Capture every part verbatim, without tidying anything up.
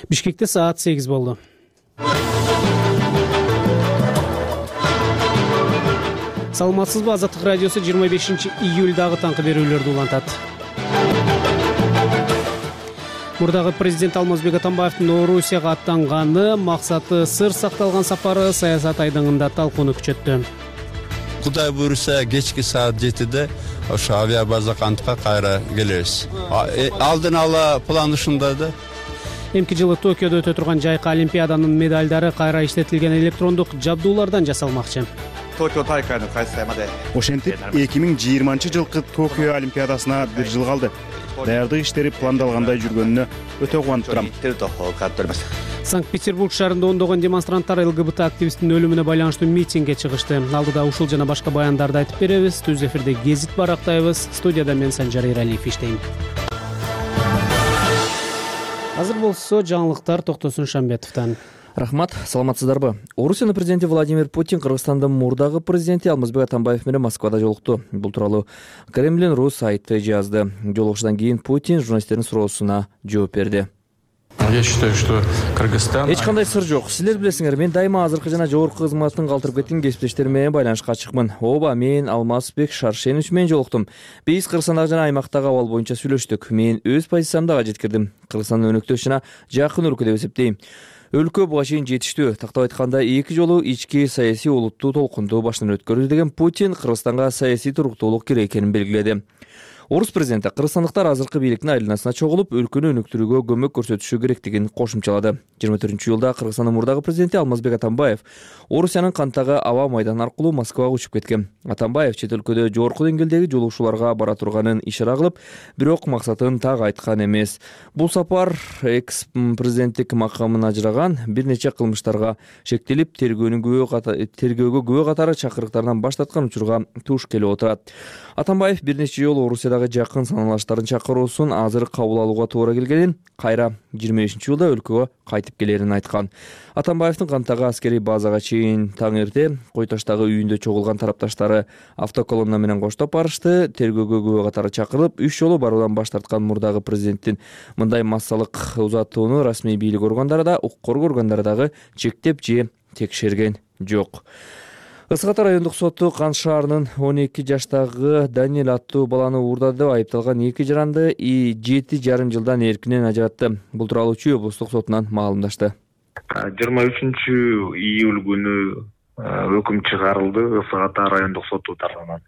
Бишкекте саат сегиз болду. Саламатсызбы? Азаттык радиосу жыйырма бешинчи июлдагы таңкы берүүлөрдү улантат. Мурдагы президент Алмазбек Атамбаевдин Орусияга аттанганы, максаты сыр сакталган сапары саясат айдыңында талкууну күчөттү. Кудай буюрса кечки саат жетиде ошо авиабаза кантка кайра келебиз. Алдын ала план ушундай да. Эмки жылы Токиодо өтө турган жайкы олимпиаданын медалдары кайра иштетилген электрондук жабдуулардан жасалмакчы. Ошентип эки миң жыйырманчы жылкы Токио олимпиадасына бир жыл калды. Даярдык иштери пландалгандай жүргөнүнө өтө кубанып турам. Санкт-Петербург шаарында ондогон демонстранттар ЛГБТ активисттин өлүмүнө байланыштуу митингге чыгышты. Алдыда ушул жана башка баяндарды айтып беребиз. Түз эфирде гезит барактайбыз. Студияда мен Санжар Эралиев иштейм. Азыр болсо жаңылыктар Токтосун Шамбетовдон. Рахмат, саламатсыздарбы? Орусиянын президенти Владимир Путин Кыргызстандын мурдагы президенти Алмазбек Атамбаев менен Москвада жолукту. Бул тууралуу Кремлин.ру сайты жазды. Жолугушуудан кийин Путин журналисттердин суроосуна жооп берди. Я считаю, что Кыргызстан... Эч кандай сыр жок. Силер билесиңер, мен дайыма азыркы жана жогорку кызматтын калтырып кеткен кесиптештерим менен байланышка чыкмын. Ооба, мен Алмазбек Шаршенович менен жолуктум. Биз Кыргызстандагы жана аймактагы абал боюнча сүйлөштүк. Мен өз позициямды ага жеткирдим. Кыргызстандын өнөктөш жана жакын өлкө деп эсептейм. Өлкө буга чейин жетиштүү. Тактап айтканда, эки жолу ички саясий олуттуу толкунду башынан өткөрдү деген Путин Кыргызстанга саясий туруктуулук керек экенин белгиледи. Орус президенти кыргызстандыктар азыркы бийликтин айланасына чогулуп, өлкөнү өнүктүрүүгө көмөк көрсөтүшү керектигин кошумчалады. жыйырма төртүнчү июлда Кыргызстандын мурдагы президенти Алмазбек Атамбаев Орусиянын кантагы аба майданы аркылуу Москвага учуп кеткен. Атамбаев чет өлкөдө жогорку деңгээлдеги жолугушууларга бара турганын ишара кылып, бирок максатын так айткан эмес. Бул сапар экс президенттик макамын ажыраган, бир нече кылмыштарга шектелип, тергөөгө күбө катары чакырыктарынан баш тарткан учурга туш келип отурат. Атамбаев бир нече жолу Орусиядагы жакын саналаштарын чакыруусун азыр кабыл алууга туура келгенин, кайра жыйырма бешинчи июлда өлкөгө кайтып келерин айткан. Атамбаевдин кантагы аскерий базага чейин таң эрте Койташтагы үйүндө чогулган тарапташтары автоколонна менен коштоп барышты. Тергөөгө күбө катары чакырылып, үч жолу баруудан баш тарткан мурдагы президенттин мындай массалык узатууну расмий бийлик органдары да, укук коргоо органдары дагы чектеп же текшерген жок. Ысык Ата райондук соту Кан шаарынын он эки жаштагы Даниэль аттуу баланы уурдады деп айыпталган эки жаранды жети жарым жылдан эркинен ажыратты. Бул тууралуу Чүй облустук сотунан маалымдашты. жыйырма үчүнчү июль күнү өкүм чыгарылды Ысык Ата райондук соту тарабынан.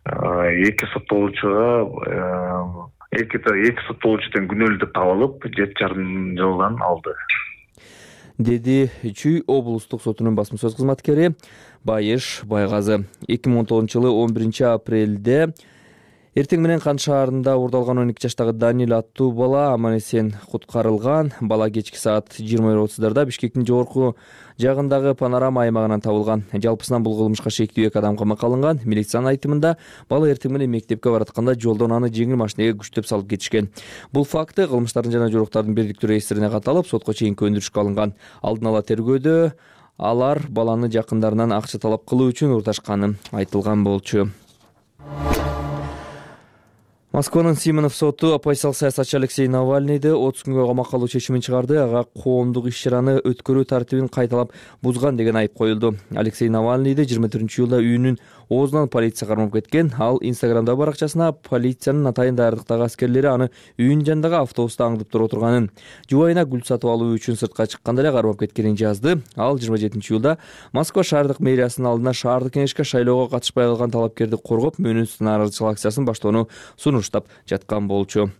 Эки соттолуучуга эки эки соттолуучудан күнөөлүү деп табылып, жети жарым жылдан алды, деди Чүй облустук сотунун басма сөз кызматкери Байыш Байгазы. эки миң он тогузунчу жылы он биринчи апрелде эртең менен Кан шаарында уурдалган он эки жаштагы Даниэль аттуу бала аман-эсен куткарылган. Бала кечки саат жыйырма бир отуздарда Бишкектин жогорку жагындагы панорама аймагынан табылган. Жалпысынан бул кылмышка шектүү эки адам камакка алынган. Милициянын айтымында, бала эртең менен мектепке баратканда жолдон аны жеңил машинеге күчтөп салып кетишкен. Бул факты кылмыштардын жана жоруктардын бирдиктүү реестрине каталып, сотко чейинки өндүрүшкө алынган. Алдын ала тергөөдө алар баланы жакындарынан акча талап кылуу үчүн урташканы айтылган болчу. Москванын Симонов соту оппозициялык саясатчы Алексей Навальныйды отуз күнгө камакка алуу чечимин чыгарды. Ага коомдук иш-чараны өткөрүү тартибин кайталап бузган деген айып коюлду. Алексей Навальныйды жыйырма төртүнчү июлда үйүнүн оозунан полиция кармап кеткен. Ал Инстаграмда баракчасына полициянын атайын даярдыктагы аскерлери аны үйүнүн жанындагы автобуста аңдып туруп отурганын, жубайына гүл сатып алуу үчүн сыртка чыкканда эле кармап кеткенин жазды. Ал жыйырма жетинчи июлда Москва шаардык мэриясынын алдына шаардык кеңешке шайлоого катышпай калган талапкерди коргоп, мөөнөтсүз нааразычылык акциясын баштоону сунуштап жаткан болчу.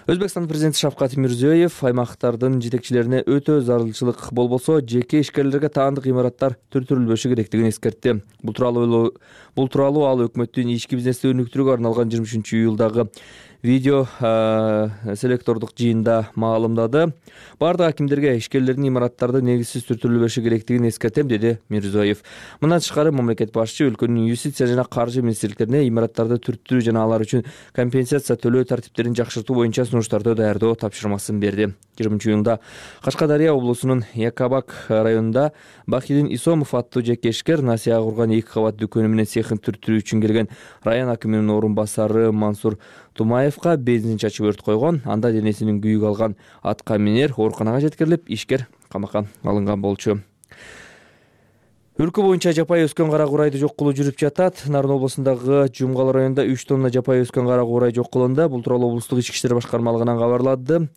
Өзбекстан президенти Шавкат Мирзиёев аймактардын жетекчилерине өтө зарылчылык болбосо, жеке ишкерлерге таандык имараттар түртүрүлбөшү керектигин эскертти. Бул тууралуу бул тууралуу ал өкмөттүн ички бизнести өнүктүрүүгө арналган жыйырма үчүнчү июлдагы видео селектордук жыйында маалымдады. Бардык акимдерге ишкерлердин имараттарды негизсиз түртүрүлбөшү керектигин эскертем, деди Мирзиёев. Мындан тышкары мамлекет башчы өлкөнүн юстиция жана каржы министрликтерине имараттарды түртүрүү жана алар үчүн компенсация төлөө тартиптерин жакшыртуу боюнча сунуштарды даярдоо тапшырмасын берди. жыйырманчы июнда Кашкадария облусунун Якабак районунда Бахидин Исомов аттуу жеке ишкер насыяга курган эки кабат дүкөнү менен цехин түртүрүү үчүн келген район акиминин орун басары Мансур Тумаевка бензин чачып өрт койгон. Анда денесинин күйүк алган атка минер ооруканага жеткирилип, ишкер камакка алынган болчу. Өлкө боюнча жапайы өскөн кара курайды жок кылуу жүрүп жатат. Нарын облусундагы Жумгал районунда үч тонна жапайы өскөн кара курай жок кылынды. Бул тууралуу облустук ички иштер башкармалыгынан кабарлады.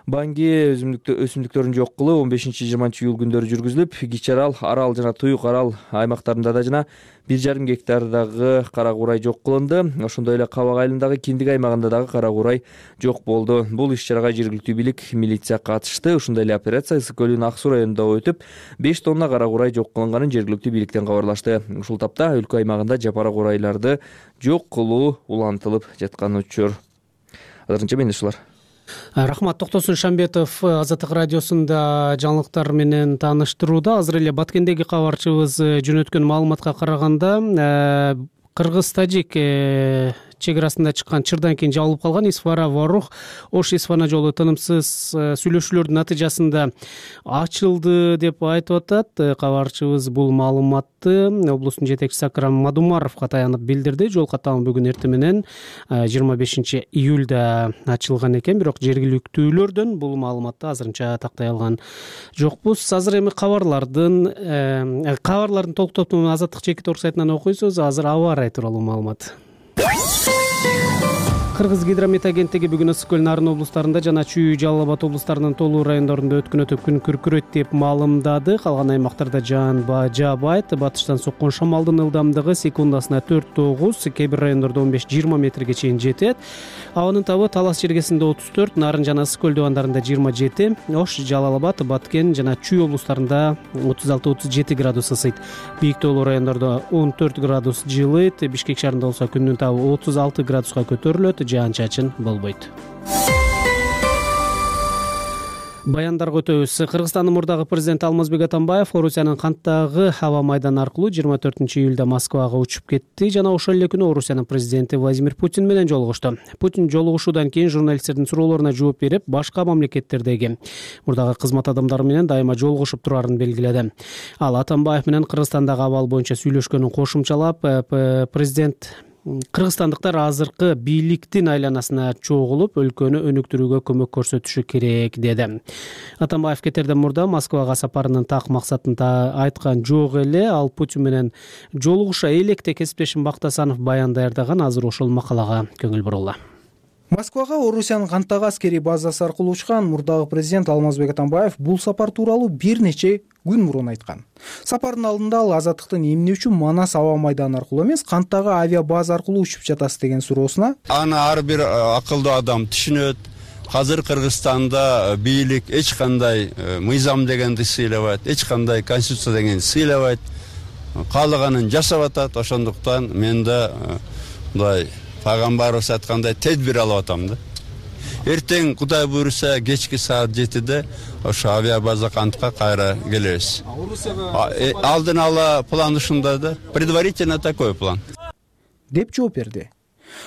Банги өсүмдүктөрүн жок кылуу он бешинчи жыйырманчы июль күндөрү жүргүзүлүп, Кичи Арал, Арал жана Туюк Арал аймактарында да жана бир жарым гектардагы кара курай жок кылынды. Ошондой эле Кабак айылындагы Киндик аймагында дагы кара курай жок болду. Бул иш-чарага жергиликтүү бийлик, милиция катышты. Ошондой эле операция Ысык көлүнүн Ак Суу районунда өтүп, беш тонна кара курай жок кылынганын жергиликтүү бийликтен кабарлашты. Ушул тапта өлкө аймагында жапара курайларды жок кылуу улантылып жаткан учур. Азырынча менде ушулар. Рахмат. Токтосун Шамбетов Азаттык радиосунда жаңылыктар менен тааныштырууда. Азыр эле Баткендеги кабарчыбыз жөнөткөн маалыматка караганда, Кыргыз-Тажик чек арасында чыккан чырдан кийин жабылып калган Исфара-Ворух Ош-Исфана жолу тынымсыз сүйлөшүүлөрдүн натыйжасында ачылды деп айтып атат. Кабарчыбыз бул маалыматты облустун жетекчиси Акрам Мадумаровго таянып билдирди. Жол катары бүгүн эртең менен жыйырма бешинчи июлда ачылган экен, бирок жергиликтүүлөрдөн бул маалыматты азырынча тактай алган жокпуз. Азыр эми кабарлардын кабарлардын толук топтун Азаттык чекит орг сайтынан окуйсуз. Азыр аба ырайы тууралуу маалымат. Кыргыз гидромет агенттиги бүгүн Ысык көл, Нарын облустарында жана Чүй, Жалал Абад облустарынын толуу райондорунда өткүнөтүп күн күркүрөйт деп маалымдады. Калган аймактарда жаан жаабайт. Батыштан соккон шамалдын ылдамдыгы секундасына төрт тогуз, кээ бир райондордо он беш жыйырма метрге чейин жетет. Абанын табы Талас жергесинде отуз төрт, Нарын жана Ысык көл дубандарында жыйырма жети, Ош, Жалал Абад, Баткен жана Чүй облустарында отуз алты отуз жети градус ысыйт. Бийик тоолуу райондордо он төрт градус жылыйт. Бишкек шаарында болсо күндүн табы отуз алты градуска көтөрүлөт. Жаан-чачын болбойт. Баяндарга өтөбүз. Кыргызстандын мурдагы президенти Алмазбек Атамбаев Орусиянын Канттагы аба майданы аркылуу жыйырма төртүнчү июлда Москвага учуп кетти жана ошол эле күнү Орусиянын президенти Владимир Путин менен жолугушту. Путин жолугушуудан кийин журналисттердин суроолоруна жооп берип, башка мамлекеттердеги мурдагы кызмат адамдары менен дайыма жолугушуп турарын белгиледи. Ал Атамбаев менен Кыргызстандагы абал боюнча сүйлөшкөнүн кошумчалап, президент кыргызстандыктар азыркы бийликтин айланасына чогулуп, өлкөнү өнүктүрүүгө көмөк көрсөтүшү керек деди. Атамбаев кетерден мурда Москвага сапарынын так максатын айткан жок эле. Ал Путин менен жолугуша электе кесиптешим Бактасанов баян даярдаган. Азыр ошол макалага көңүл бурулла. Москвага Орусиянын Канттагы аскерий базасы аркылуу учкан мурдагы президент Алмазбек Атамбаев бул сапар тууралуу бир нече күн мурун айткан. Сапардын алдында ал азаттыктын эмне үчүн Манас аба майданы аркылуу эмес, Канттагы авиа база аркылуу учуп жатасыз деген суроосуна аны ар бир акылдуу адам түшүнөт. Азыр Кыргызстанда бийлик эч кандай мыйзам дегенди сыйлабайт, эч кандай конституция дегенди сыйлабайт. Каалаганын жасап атат. Ошондуктан мен да мындай Пайгамбарыбыз айткандай тедбир алып атам да. Эртең Кудай буйруса кечки саат жетиде ошо авиа база Кантка кайра келебиз. Алдын ала план ушундай да. Предварительно такой план. деп жооп берди.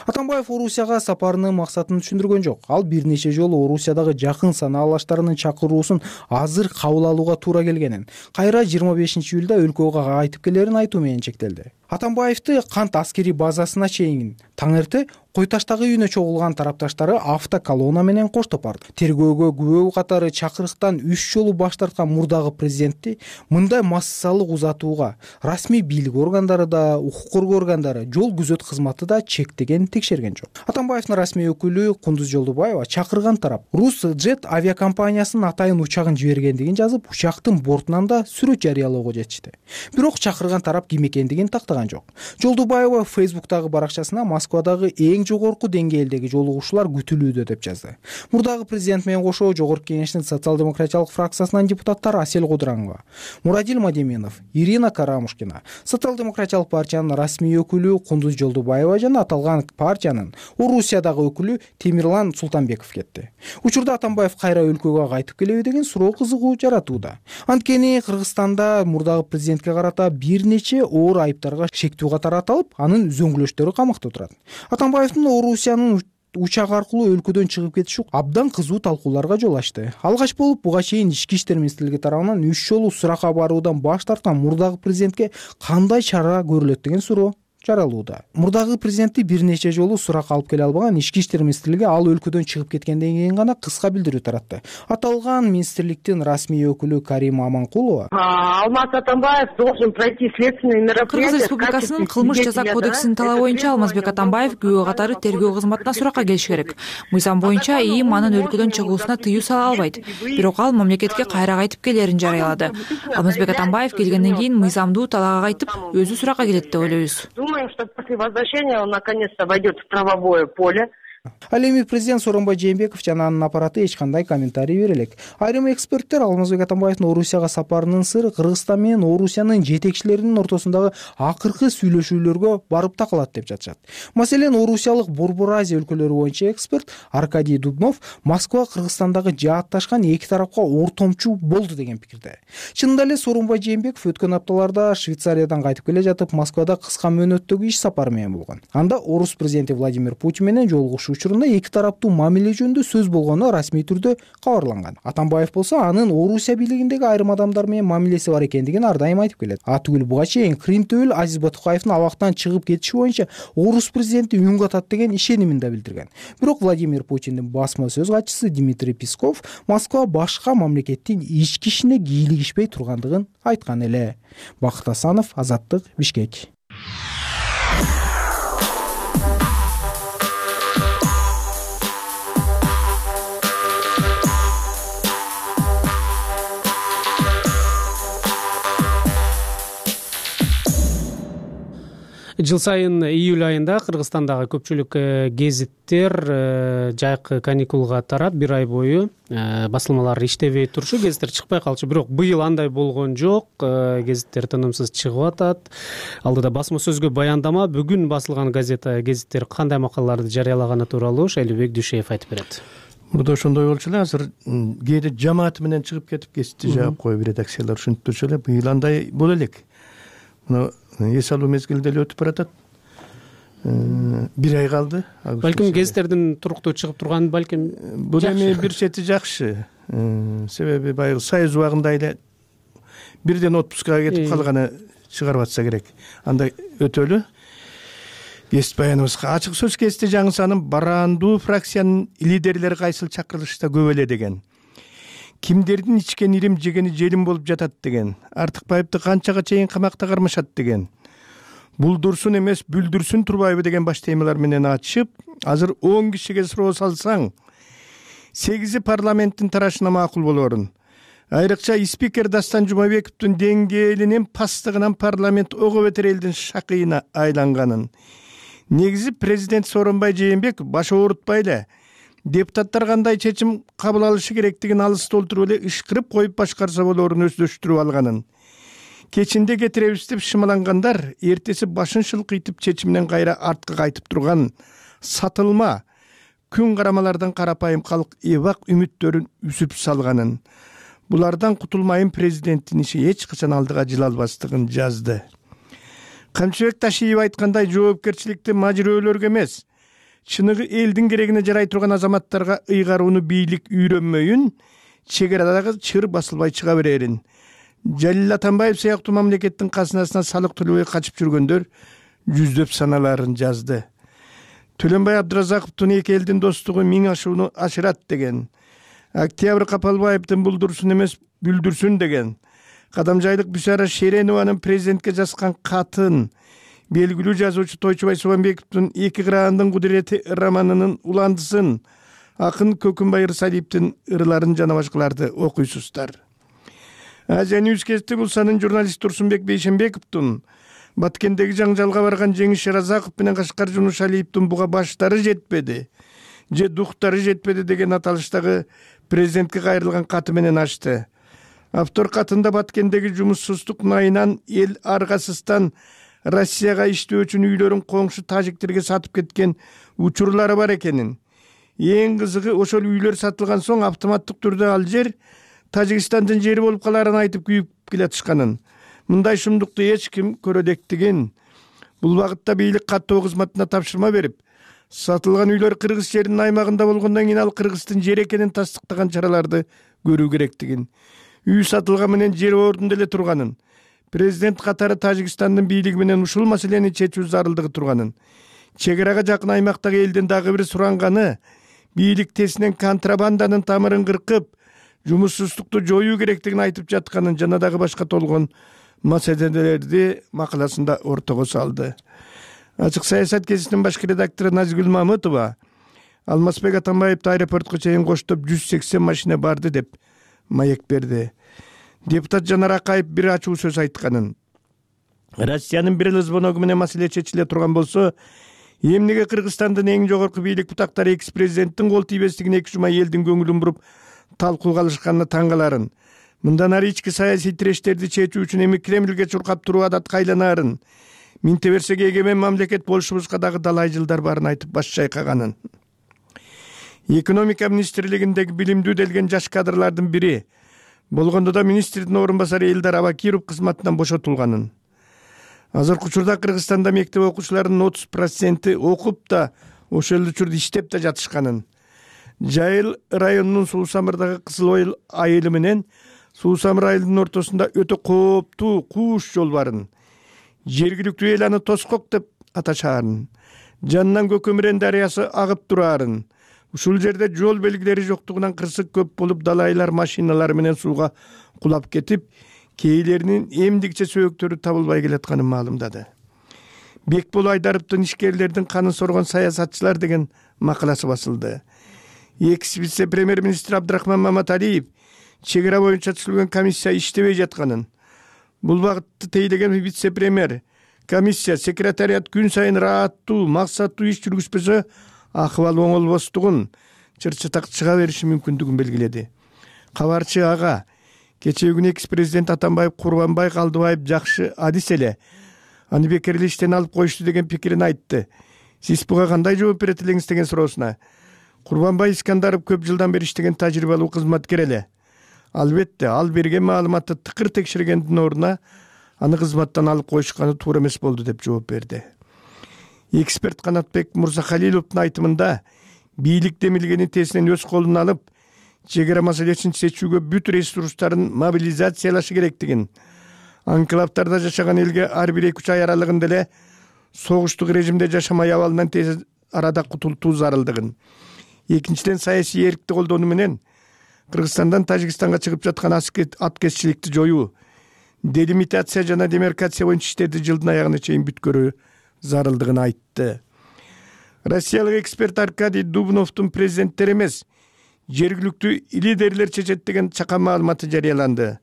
Атамбаев Орусияга сапарынын максатын түшүндүргөн жок. Ал бир нече жолу Орусиядагы жакын санаалаштарынын чакыруусун азыр кабыл алууга туура келгенин, кайра жыйырма бешинчи июлда өлкөгө кайтып келерин айтуу менен чектелди. Атамбаевди Кант аскерий базасына чейин таң эрте Койташтагы үйүнө чогулган тарапташтары автоколонна менен коштоп барды. Тергөөгө күбө катары чакырыктан үч жолу баш тарткан мурдагы президентти мындай массалык узатууга расмий бийлик органдары да, укук коргоо органдары, жол күзөт кызматы да чектеген, текшерген жок. Атамбаевдин расмий өкүлү Кундуз Жолдубаева чакырган тарап Русджет авиакомпаниясынын атайын учагын жибергендигин жазып, учактын бортунан да сүрөт жарыялоого жетишти. Бирок чакырган тарап ким экендигин тактаган жок. Жолдубаева Фейсбуктагы баракчасына Москвадагы эң жогорку деңгээлдеги жолугушуулар күтүлүүдө деп жазды. Мурдагы президент менен кошо Жогорку Кеңештин социал-демократиялык фракциясынын депутаттары Асель Кудранова, Мурадил Мадеменов, Ирина Карамушкина, социал-демократиялык партиянын расмий өкүлү Кундуз Жолдубаева жана аталган партиянын Орусиядагы өкүлү Темирлан Султанбеков кетти. Учурда Атамбаев кайра өлкөгө кайтып келеби деген суроо кызыгуу жаратууда. Анткени Кыргызстанда мурдагы президентке карата бир нече оор айыптарга шектүү катары аталып, анын үзөңгүлөштөрү камакта турат. Атамбаевдин Орусиянын учак аркылуу өлкөдөн чыгып кетиши абдан кызуу талкууларга жол ачты. Алгач болуп буга чейин Ички иштер министрлиги тарабынан үч жолу суракка баруудан баш тарткан мурдагы президентке кандай чара көрүлөт деген суроо жаралууда. Мурдагы президентти бир нече жолу суракка алып келе албаган ички иштер министрлиги ал өлкөдөн чыгып кеткенден кийин гана кыска билдирүү таратты. Аталган министрликтин расмий өкүлү Карима Аманкулова Алмаз Атамбаев должен пройти следственные мероприятия. Кыргыз Республикасынын кылмыш жаза кодексинин талабы боюнча Алмазбек Атамбаев күбө катары тергөө кызматына суракка келиш керек. Мыйзам боюнча ИИМ анын өлкөдөн чыгуусуна тыюу сала албайт. Бирок ал мамлекетке кайра кайтып келерин жарыялады. Алмазбек Атамбаев келгенден кийин мыйзамдуу талаага кайтып, өзү суракка келет деп ойлойбуз. Думаем, что после возвращения он наконец-то войдет в правовое поле. Ал эми президент Сооронбай Жээнбеков жана анын аппараты эч кандай комментарий бере элек. Айрым эксперттер Алмазбек Атамбаевдин Орусияга сапарынын сыры Кыргызстан менен Орусиянын жетекчилеринин ортосундагы акыркы сүйлөшүүлөргө барып такалат деп жатышат. Маселен, орусиялык Борбор Азия өлкөлөрү боюнча эксперт Аркадий Дубнов Москва Кыргызстандагы жаатташкан эки тарапка ортомчу болду деген пикирде. Чынында эле Сооронбай Жээнбеков өткөн апталарда Швейцариядан кайтып келе жатып, Москвада кыска мөөнөттөгү иш сапары менен болгон. Анда орус президенти Владимир Путин менен жолугушуу учурунда эки тараптуу мамиле жөнүндө сөз болгону расмий түрдө кабарланган. Атамбаев болсо анын Орусия бийлигиндеги айрым адамдар менен мамилеси бар экендигин ар дайым айтып келет. Атүгүл буга чейин Крим төбөл Азиз Батукаевдин абактан чыгып кетиши боюнча орус президенти үн катат деген ишенимин да билдирген. Бирок Владимир Путиндин басма сөз катчысы Дмитрий Песков Москва башка мамлекеттин ички ишине кийлигишпей тургандыгын айткан эле. Бакыт Асанов, Азаттык, Бишкек. Жыл сайын июль айында Кыргызстандагы көпчүлүк гезиттер жайкы каникулга тарап бир ай бою басылмалар иштебей турушу, гезиттер чыкпай калчу. Бирок быйыл андай болгон жок. Гезиттер тынымсыз чыгып атат. Алдыда басма сөзгө баяндама, бүгүн басылган газета гезиттер кандай макалаларды жарыялаганы тууралуу Шайлыбек Дүйшеев айтып берет. Мурда ошондой болчу эле, азыр кээде жамааты менен чыгып кетип гезитти жаап коюп редакциялар ушинтип турчу эле. Быйыл андай боло элек. Мына эс алуу мезгилде эле өтүп баратат. Бир ай калды. Балким гезиттердин туруктуу чыгып турганы балким бул эми бир чети жакшы. Себеби баягы Союз убагында эле бирден отпускага кетип калганы чыгарып атса керек. Анда өтөлү. Гезит баяныбызга ачык сөз гезити жаңысанын барандуу фракциянын лидерлери кайсыл чакырылышта көп эле деген. Кимдердин ичкен ирим жегени желим болуп жатат деген. Артыкбаевди канчага чейин камакта кармашат деген. Булдурсун эмес бүлдүрсүн турбайбы деген баш темалар менен ачып, азыр он кишиге суроо салсаң, сегизи парламенттин тарашына макул болорун. Айрыкча спикер Дастан Жумабековдун деңгээлинин пастыгынан парламент ого бетер элдин шакыйына айланганын. Негизи президент Сооронбай Жээнбеков баш оорутпай эле депутаттар кандай чечим кабыл алышы керектигин алыс толтуруп эле ышкырып коюп башкарса болорун өздөштүрүп алганын. Кечинде кетиребиз деп шымалангандар эртеси башын шылкыйтып чечимден кайра артка кайтып турган сатылма күн карамалардан карапайым калк эбак үмүттөрүн үзүп салганын. Булардан кутулмайын президенттин иши эч качан алдыга жыла албастыгын жазды. Камчыбек Ташиев айткандай, жоопкерчиликти мажирөөлөргө эмес, чыныгы элдин керегине жарай турган азаматтарга ыйгарууну бийлик үйрөнмөйүн, чегарадагы чыр басылбай чыга берерин. Жалил Атамбаев сыяктуу мамлекеттин казынасына салык төлөбөй качып жүргөндөр жүздөп саналарын жазды. Төлөнбай Абдыразаковдун эки элдин достугу миң ашууну ашырат деген. Октябрь Капалбаевдин булдурсун эмес бүлдүрсүн деген. Кадамжайлык Бүсара Шеренованын президентке жазган катын, белгилүү жазуучу Тойчубай Субанбековдун эки кыраандын кудурети романынын уландысын, акын Көкүнбай Ырсалиевдин ырларын жана башкаларды окуйсуздар. Азия Ньюс Кезити Булсанын журналист Турсунбек Бейшенбековдун Баткендеги жаңжалга барган Жеңиш Шеразаков менен Кашкар Жунушалиевдин буга баштары жетпеди, же духтары жетпеди деген аталыштагы президентке кайрылган каты менен ачты. Автор катында Баткендеги жумуссуздук найынан эл аргасыздан Россияга иштөө үчүн үйлөрүн коңшу тажиктерге сатып кеткен учурлары бар экенин. Эң кызыгы, ошол үйлөр сатылган соң автоматтык түрдө ал жер Тажикстандын жери болуп каларын айтып күйүп келатышканын. Мындай шумдукту эч ким көрөдектигин. Бул багытта бийлик каттоо кызматына тапшырма берип, сатылган үйлөр Кыргыз жеринин аймагында болгондон кийин ал Кыргыздын жери экенин тастыктаган чараларды көрүү керектигин. Үй сатылган менен жер ордунда эле турганын, президент катары Тажикстандын бийлиги менен ушул маселени чечүү зарылдыгы турганын, чек арага жакын аймактагы элдин дагы бир суранганы бийлик тесинен контрабанданын тамырын кыркып, жумушсуздукту жоюу керектигин айтып жатканын жана дагы башка толгон маселелерди макаласында ортого салды. Ачык саясат гезитинин башкы редактору Назигүл Мамытова Алмазбек Атамбаевди аэропортко чейин коштоп жүз сексен машина барды деп маек берди. Депутат Жанар Акаев бир ачуу сөз айтканын, Россиянын бир эле звоногу менен маселе чечиле турган болсо, эмнеге Кыргызстандын эң жогорку бийлик бутактары экс президенттин кол тийбестигине эки жума элдин көңүлүн буруп талкууга алышканына таң каларын, мындан ары ички саясий тирештерди чечүү үчүн эми Кремльге чуркап туруу адатка айланаарын, минте берсек эгемен мамлекет болушубузга дагы далай жылдар барын айтып баш чайкаганын. Экономика министрлигиндеги билимдүү делген жаш кадрлардын бири болгондо да министрдин орун басары Элдар Абакиров кызматынан бошотулганын. Азыркы учурда Кыргызстанда мектеп окуучуларынын отуз проценти окуп да, ошол учурда иштеп да жатышканын. Жайыл районунун Суу Самырдагы Кызыл Ойыл айылы менен Суу Самыр айылынын ортосунда өтө кооптуу кууш жол барын. Жергиликтүү эл аны Тоскок деп аташаарын. Жанынан Көкөмүрен дарыясы агып тураарын. Ушул жерде жол белгилери жоктугунан кырсык көп болуп, далайлар машиналар менен сууга кулап кетип, кээлеринин эмдикче сөөктөрү табылбай келатканын маалымдады. Бекбол Айдаровдун ишкерлердин канын соргон саясатчылар деген макаласы басылды. Экс вице-премьер-министр Абдрахман Маматалиев чек ара боюнча түзүлгөн комиссия иштебей жатканын, бул багытты тейлеген вице-премьер комиссия секретариат күн сайын ырааттуу, максаттуу иш жүргүзбөсө акыбал оңолбостугун, чырчатак чыга бериши мүмкүндүгүн белгиледи. Кабарчы ага кечээ күнү экс президент Атамбаев Курбанбай Калдыбаев жакшы адис эле, аны бекерли иштен алып коюшту деген пикирин айтты. Сиз буга кандай жооп берет элеңиз деген суроосуна, Курбанбай Искандаров көп жылдан бери иштеген тажрыйбалуу кызматкер эле. Албетте, ал берген маалыматты тыкыр текшергендин ордуна аны кызматтан алып коюшканы туура эмес болду деп жооп берди. Эксперт Канатбек Мурзахалиловдун айтымында, бийлик демилгени тесинен өз колуна алып, чек ара маселесин чечүүгө бүт ресурстарын мобилизациялашы керектигин, анклавтарда жашаган элге ар бир эки үч ай аралыгында эле согуштук режимде жашамай абалынан тез арада кутултуу зарылдыгын, экинчиден саясий эркти колдонуу менен Кыргызстандан Тажикстанга чыгып жаткан аткезчиликти жоюу, делимитация жана демаркация боюнча иштерди жылдын аягына чейин бүткөрүү зарылдыгын айтты. Россиялык эксперт Аркадий Дубновдун президенттер эмес, жергиликтүү лидерлер чечет деген чакан маалыматы жарыяланды.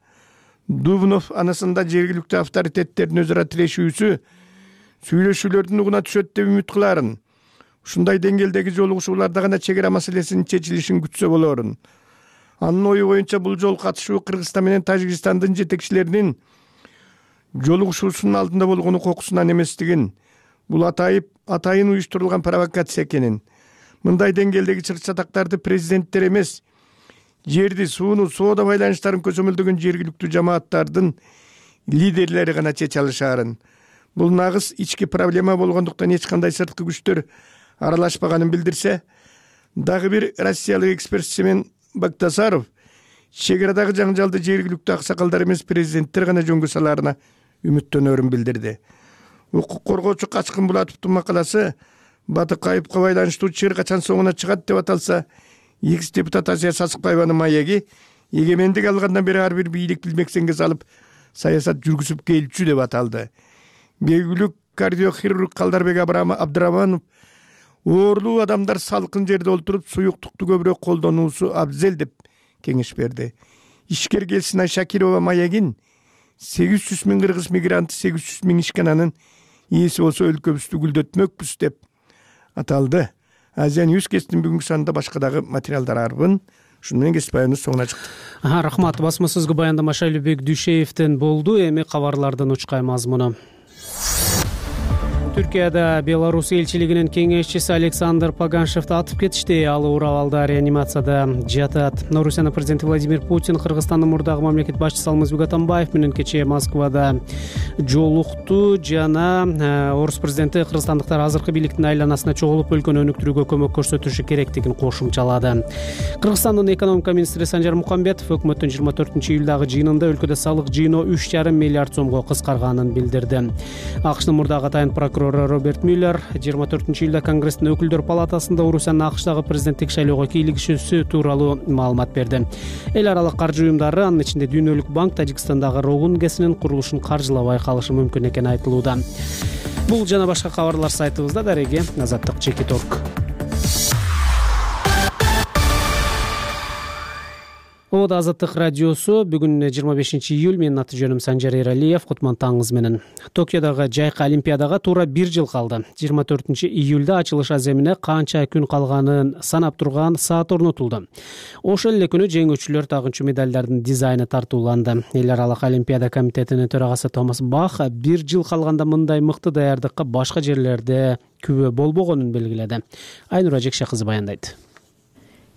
Дубнов анысында жергиликтүү авторитеттердин өзара тирешүүсү, сүйлөшүүлөрдүн угуна түшөт деп үмүт кыларын. Ушундай деңгээлдеги жолугушууларда гана чек ара маселесинин чечилишин күтсө болорун. Анын ою боюнча бул жолу катышуу Кыргызстан менен Тажикстандын жетекчилеринин жолугушуусунун алдында болгону кокусунан эместигин, бул атайып атайын уюштурулган провокация экенин, мындай деңгээлдеги чырчатактарды президенттер эмес, жерди, сууну, соода байланыштарын көзөмөлдөгөн жергиликтүү жамааттардын лидерлери гана чече алышаарын. Бул нагыз ички проблема болгондуктан эч кандай сырткы күчтөр аралашпаганын билдирсе, дагы бир россиялык эксперт Семен Бактасаров чек арадагы жаңжалды жергиликтүү аксакалдар эмес, президенттер гана жөнгө салаарына үмүттөнөрүн билдирди. Укук коргоочу Качкын Булатовдун макаласы Батыкаевга байланыштуу чыр качан соңуна чыгат деп аталса, экс депутат Азия Сасыкбаеванын маеги эгемендик алгандан бери ар бир бийлик билмексенге салып саясат жүргүзүп келчү деп аталды. Белгилүү кардиохирург Калдарбек Абдыраманов оорлуу адамдар салкын жерде олтуруп суюктукту көбүрөөк колдонуусу абзел деп кеңеш берди. Ишкер Келсинай Шакирова маегин сегиз жүз миң кыргыз мигранты, сегиз жүз миң ишкананын ээси болсо өлкөбүздү гүлдөтмөкпүз деп аталды. Азия Ньюс кесиптин бүгүнкү санында башка дагы материалдар арбын. Ушуну менен кесип баяныбыз соңуна чыкты. Рахмат. Басмасызгы баяндама Шайлыбек Дүйшеевден болду. Эми кабарлардын учкай мазмуну. Түркияда Беларусь элчилигинин кеңешчиси Александр Паганшевди атып кетишти. Ал оор абалда реанимацияда жатат. Орусиянын президенти Владимир Путин Кыргызстандын мурдагы мамлекет башчысы Алмазбек Атамбаев менен кечээ Москвада жолукту жана орус президенти кыргызстандыктар азыркы бийликтин айланасына чогулуп өлкөнү өнүктүрүүгө көмөк көрсөтүшү керектигин кошумчалады. Кыргызстандын экономика министри Санжар Мукамбетов өкмөттүн жыйырма төртүнчү июлдагы жыйынында өлкөдө салык жыйноо үч жарым миллиард сомго кыскарганын билдирди. АКШнын мурдагы атайын прокурору Роберт Мюллер жыйырма төртүнчү июлда Конгресстин өкүлдөр палатасында Орусиянын АКШдагы президенттик шайлоого кийлигишүүсү тууралуу маалымат берди. Эл аралык каржы уюмдары, анын ичинде Дүйнөлүк банк, Тажикстандагы Рогун ГЭСинин курулушун каржылабай калышы мүмкүн экени айтылууда. Бул жана башка кабарлар сайтыбызда. Дареги Азаттык Чекит точка орг. Ода Азаттык радиосу. Бүгүн жыйырма бешинчи июль. Менин аты жөнүм Санжар Эралиев. Кутман таңыңыз менен. Токиодогу жайкы олимпиадага туура бир жыл калды. жыйырма төртүнчү июлда ачылыш аземине канча күн калганын санап турган саат орнотулду. Ошол эле күнү жеңүүчүлөр тагынчу медалдардын дизайны тартууланды. Эл аралык олимпиада комитетинин төрагасы Томас Бах бир жыл калганда мындай мыкты даярдыкка башка жерлерде күбө болбогонун белгиледи. Айнура Жекше кызы баяндайт.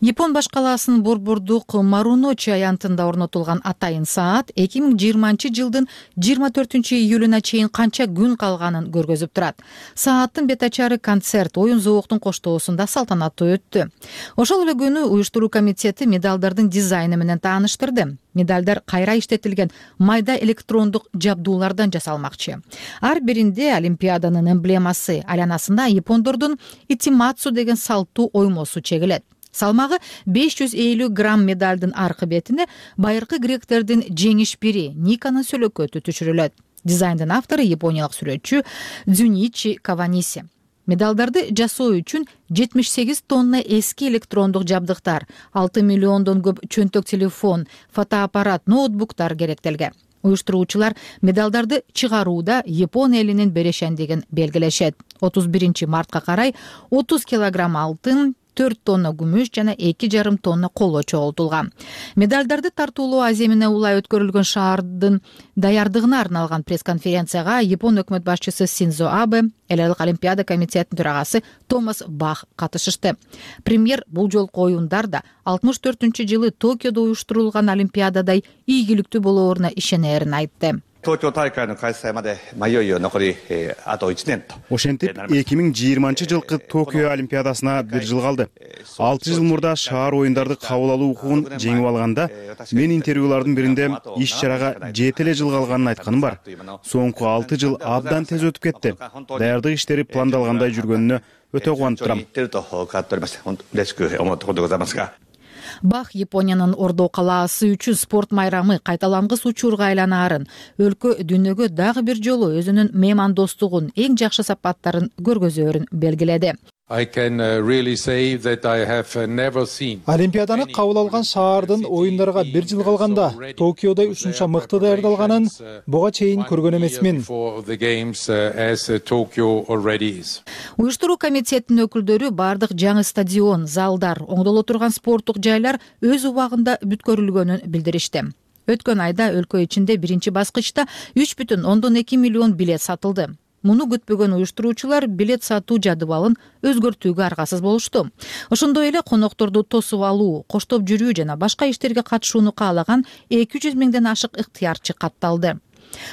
Япон баш калаасынын борбордук Маруночи аянтында орнотулган атайын саат эки миң жыйырманчы жылдын жыйырма төртүнчү июлуна чейин канча күн калганын көргөзүп турат. Сааттын бет ачары концерт оюн зооктун коштоосунда салтанаттуу өттү. Ошол эле күнү уюштуруу комитети медалдардын дизайны менен тааныштырды. Медалдар кайра иштетилген майда электрондук жабдуулардан жасалмакчы. Ар биринде олимпиаданын эмблемасы, айланасында япондордун итиматсу деген салттуу оймосу чегилет. Салмагы беш жүз элүү грамм медалдын аркы бетине байыркы гректердин жеңиш бири Никанын сөлөкөтү түшүрүлөт. Дизайндын автору япониялык сүрөтчү Дзюничи Каваниси. Медалдарды жасоо үчүн жетимиш сегиз тонна эски электрондук жабдыктар, алты миллиондон көп чөнтөк телефон, фотоаппарат, ноутбуктар керектелген. Уюштуруучулар медалдарды чыгарууда Япон элинин берешендигин белгилешет. отуз биринчи мартка карай отуз килограмм алтын, төрт тонна күмүш жана эки жарым тонна коло чогултулган. Медалдарды тартуулоо аземине улай өткөрүлгөн шаардын даярдыгына арналган пресс-конференцияга Япон өкмөт башчысы Синдзо Абе, эл аралык олимпиада комитетинин төрагасы Томас Бах катышышты. Премьер бул жолку оюндар да алтымыш төртүнчү жылы Токиодо уюштурулган олимпиададай ийгиликтүү болооруна ишенерин айтты. Ошентип эки миң жыйырманчы жылкы Токио олимпиадасына бир жыл калды. алты жыл мурда шаар оюндарды кабыл алуу укугун жеңип алганда мен интервьюлардын биринде иш чарага жети эле жыл калганын айтканым бар. Соңку алты жыл абдан тез өтүп кетти. Даярдык иштери пландалгандай жүргөнүнө өтө кубанып турам. Бах Япониянын Ордо калаасы үчүн спорт майрамы кайталангыс учурга айланаарын, өлкө дүйнөгө дагы бир жолу өзүнүн меймандостугун, эң жакшы сапаттарын көргөзөөрүн белгиледи. Олимпиаданы кабыл алган шаардын оюндарга бир жыл калганда Токиодой ушунча мыкты даярдалганын буга чейин көргөн эмесмин. Уюштуруу комитетинин өкүлдөрү бардык жаңы стадион, залдар, оңдоло турган спорттук жайлар өз убагында бүткөрүлгөнүн билдиришти. Өткөн айда өлкө ичинде биринчи баскычта үч бүтүн ондон эки миллион билет сатылды. Муну күтпөгөн уюштуруучулар билет сатуу жадыбалын өзгөртүүгө аргасыз болушту. Ошондой эле конокторду тосуп алуу, коштоп жүрүү жана башка иштерге катышууну каалаган эки жүз миңден ашык ыктыярчы катталды.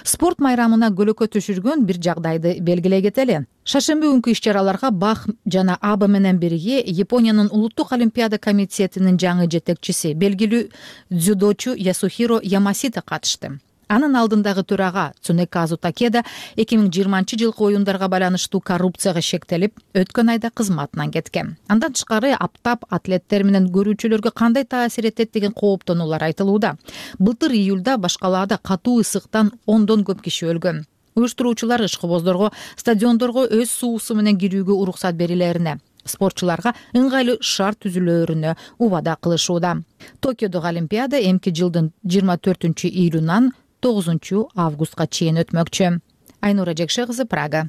Спорт майрамына көлөкө түшүргөн бир жагдайды белгилей кетели. Шаршемби күнкү иш-чараларга Бах жана Аба менен бирге Япониянын улуттук олимпиада комитетинин жаңы жетекчиси, белгилүү дзюдочу Ясухиро Ямасита катышты. Анын алдындагы төрага Цунеказу Такеда эки миң жыйырманчы жылкы оюндарга байланыштуу коррупцияга шектелип, өткөн айда кызматынан кеткен. Андан тышкары аптап атлеттер менен көрүүчүлөргө кандай таасир этет деген кооптонуулар айтылууда. Былтыр июлда баш калаада катуу ысыктан ондон көп киши өлгөн. Уюштуруучулар ишкыбоздорго стадиондорго өз суусу менен кирүүгө уруксат берилерине, спортчуларга ыңгайлуу шарт түзүлөөрүнө убада кылышууда. Токиодогу олимпиада эмки жылдын жыйырма төртүнчү июлунан тогузунчу августка чейин өтмөкчү. Айнура Жекше кызы, Прага.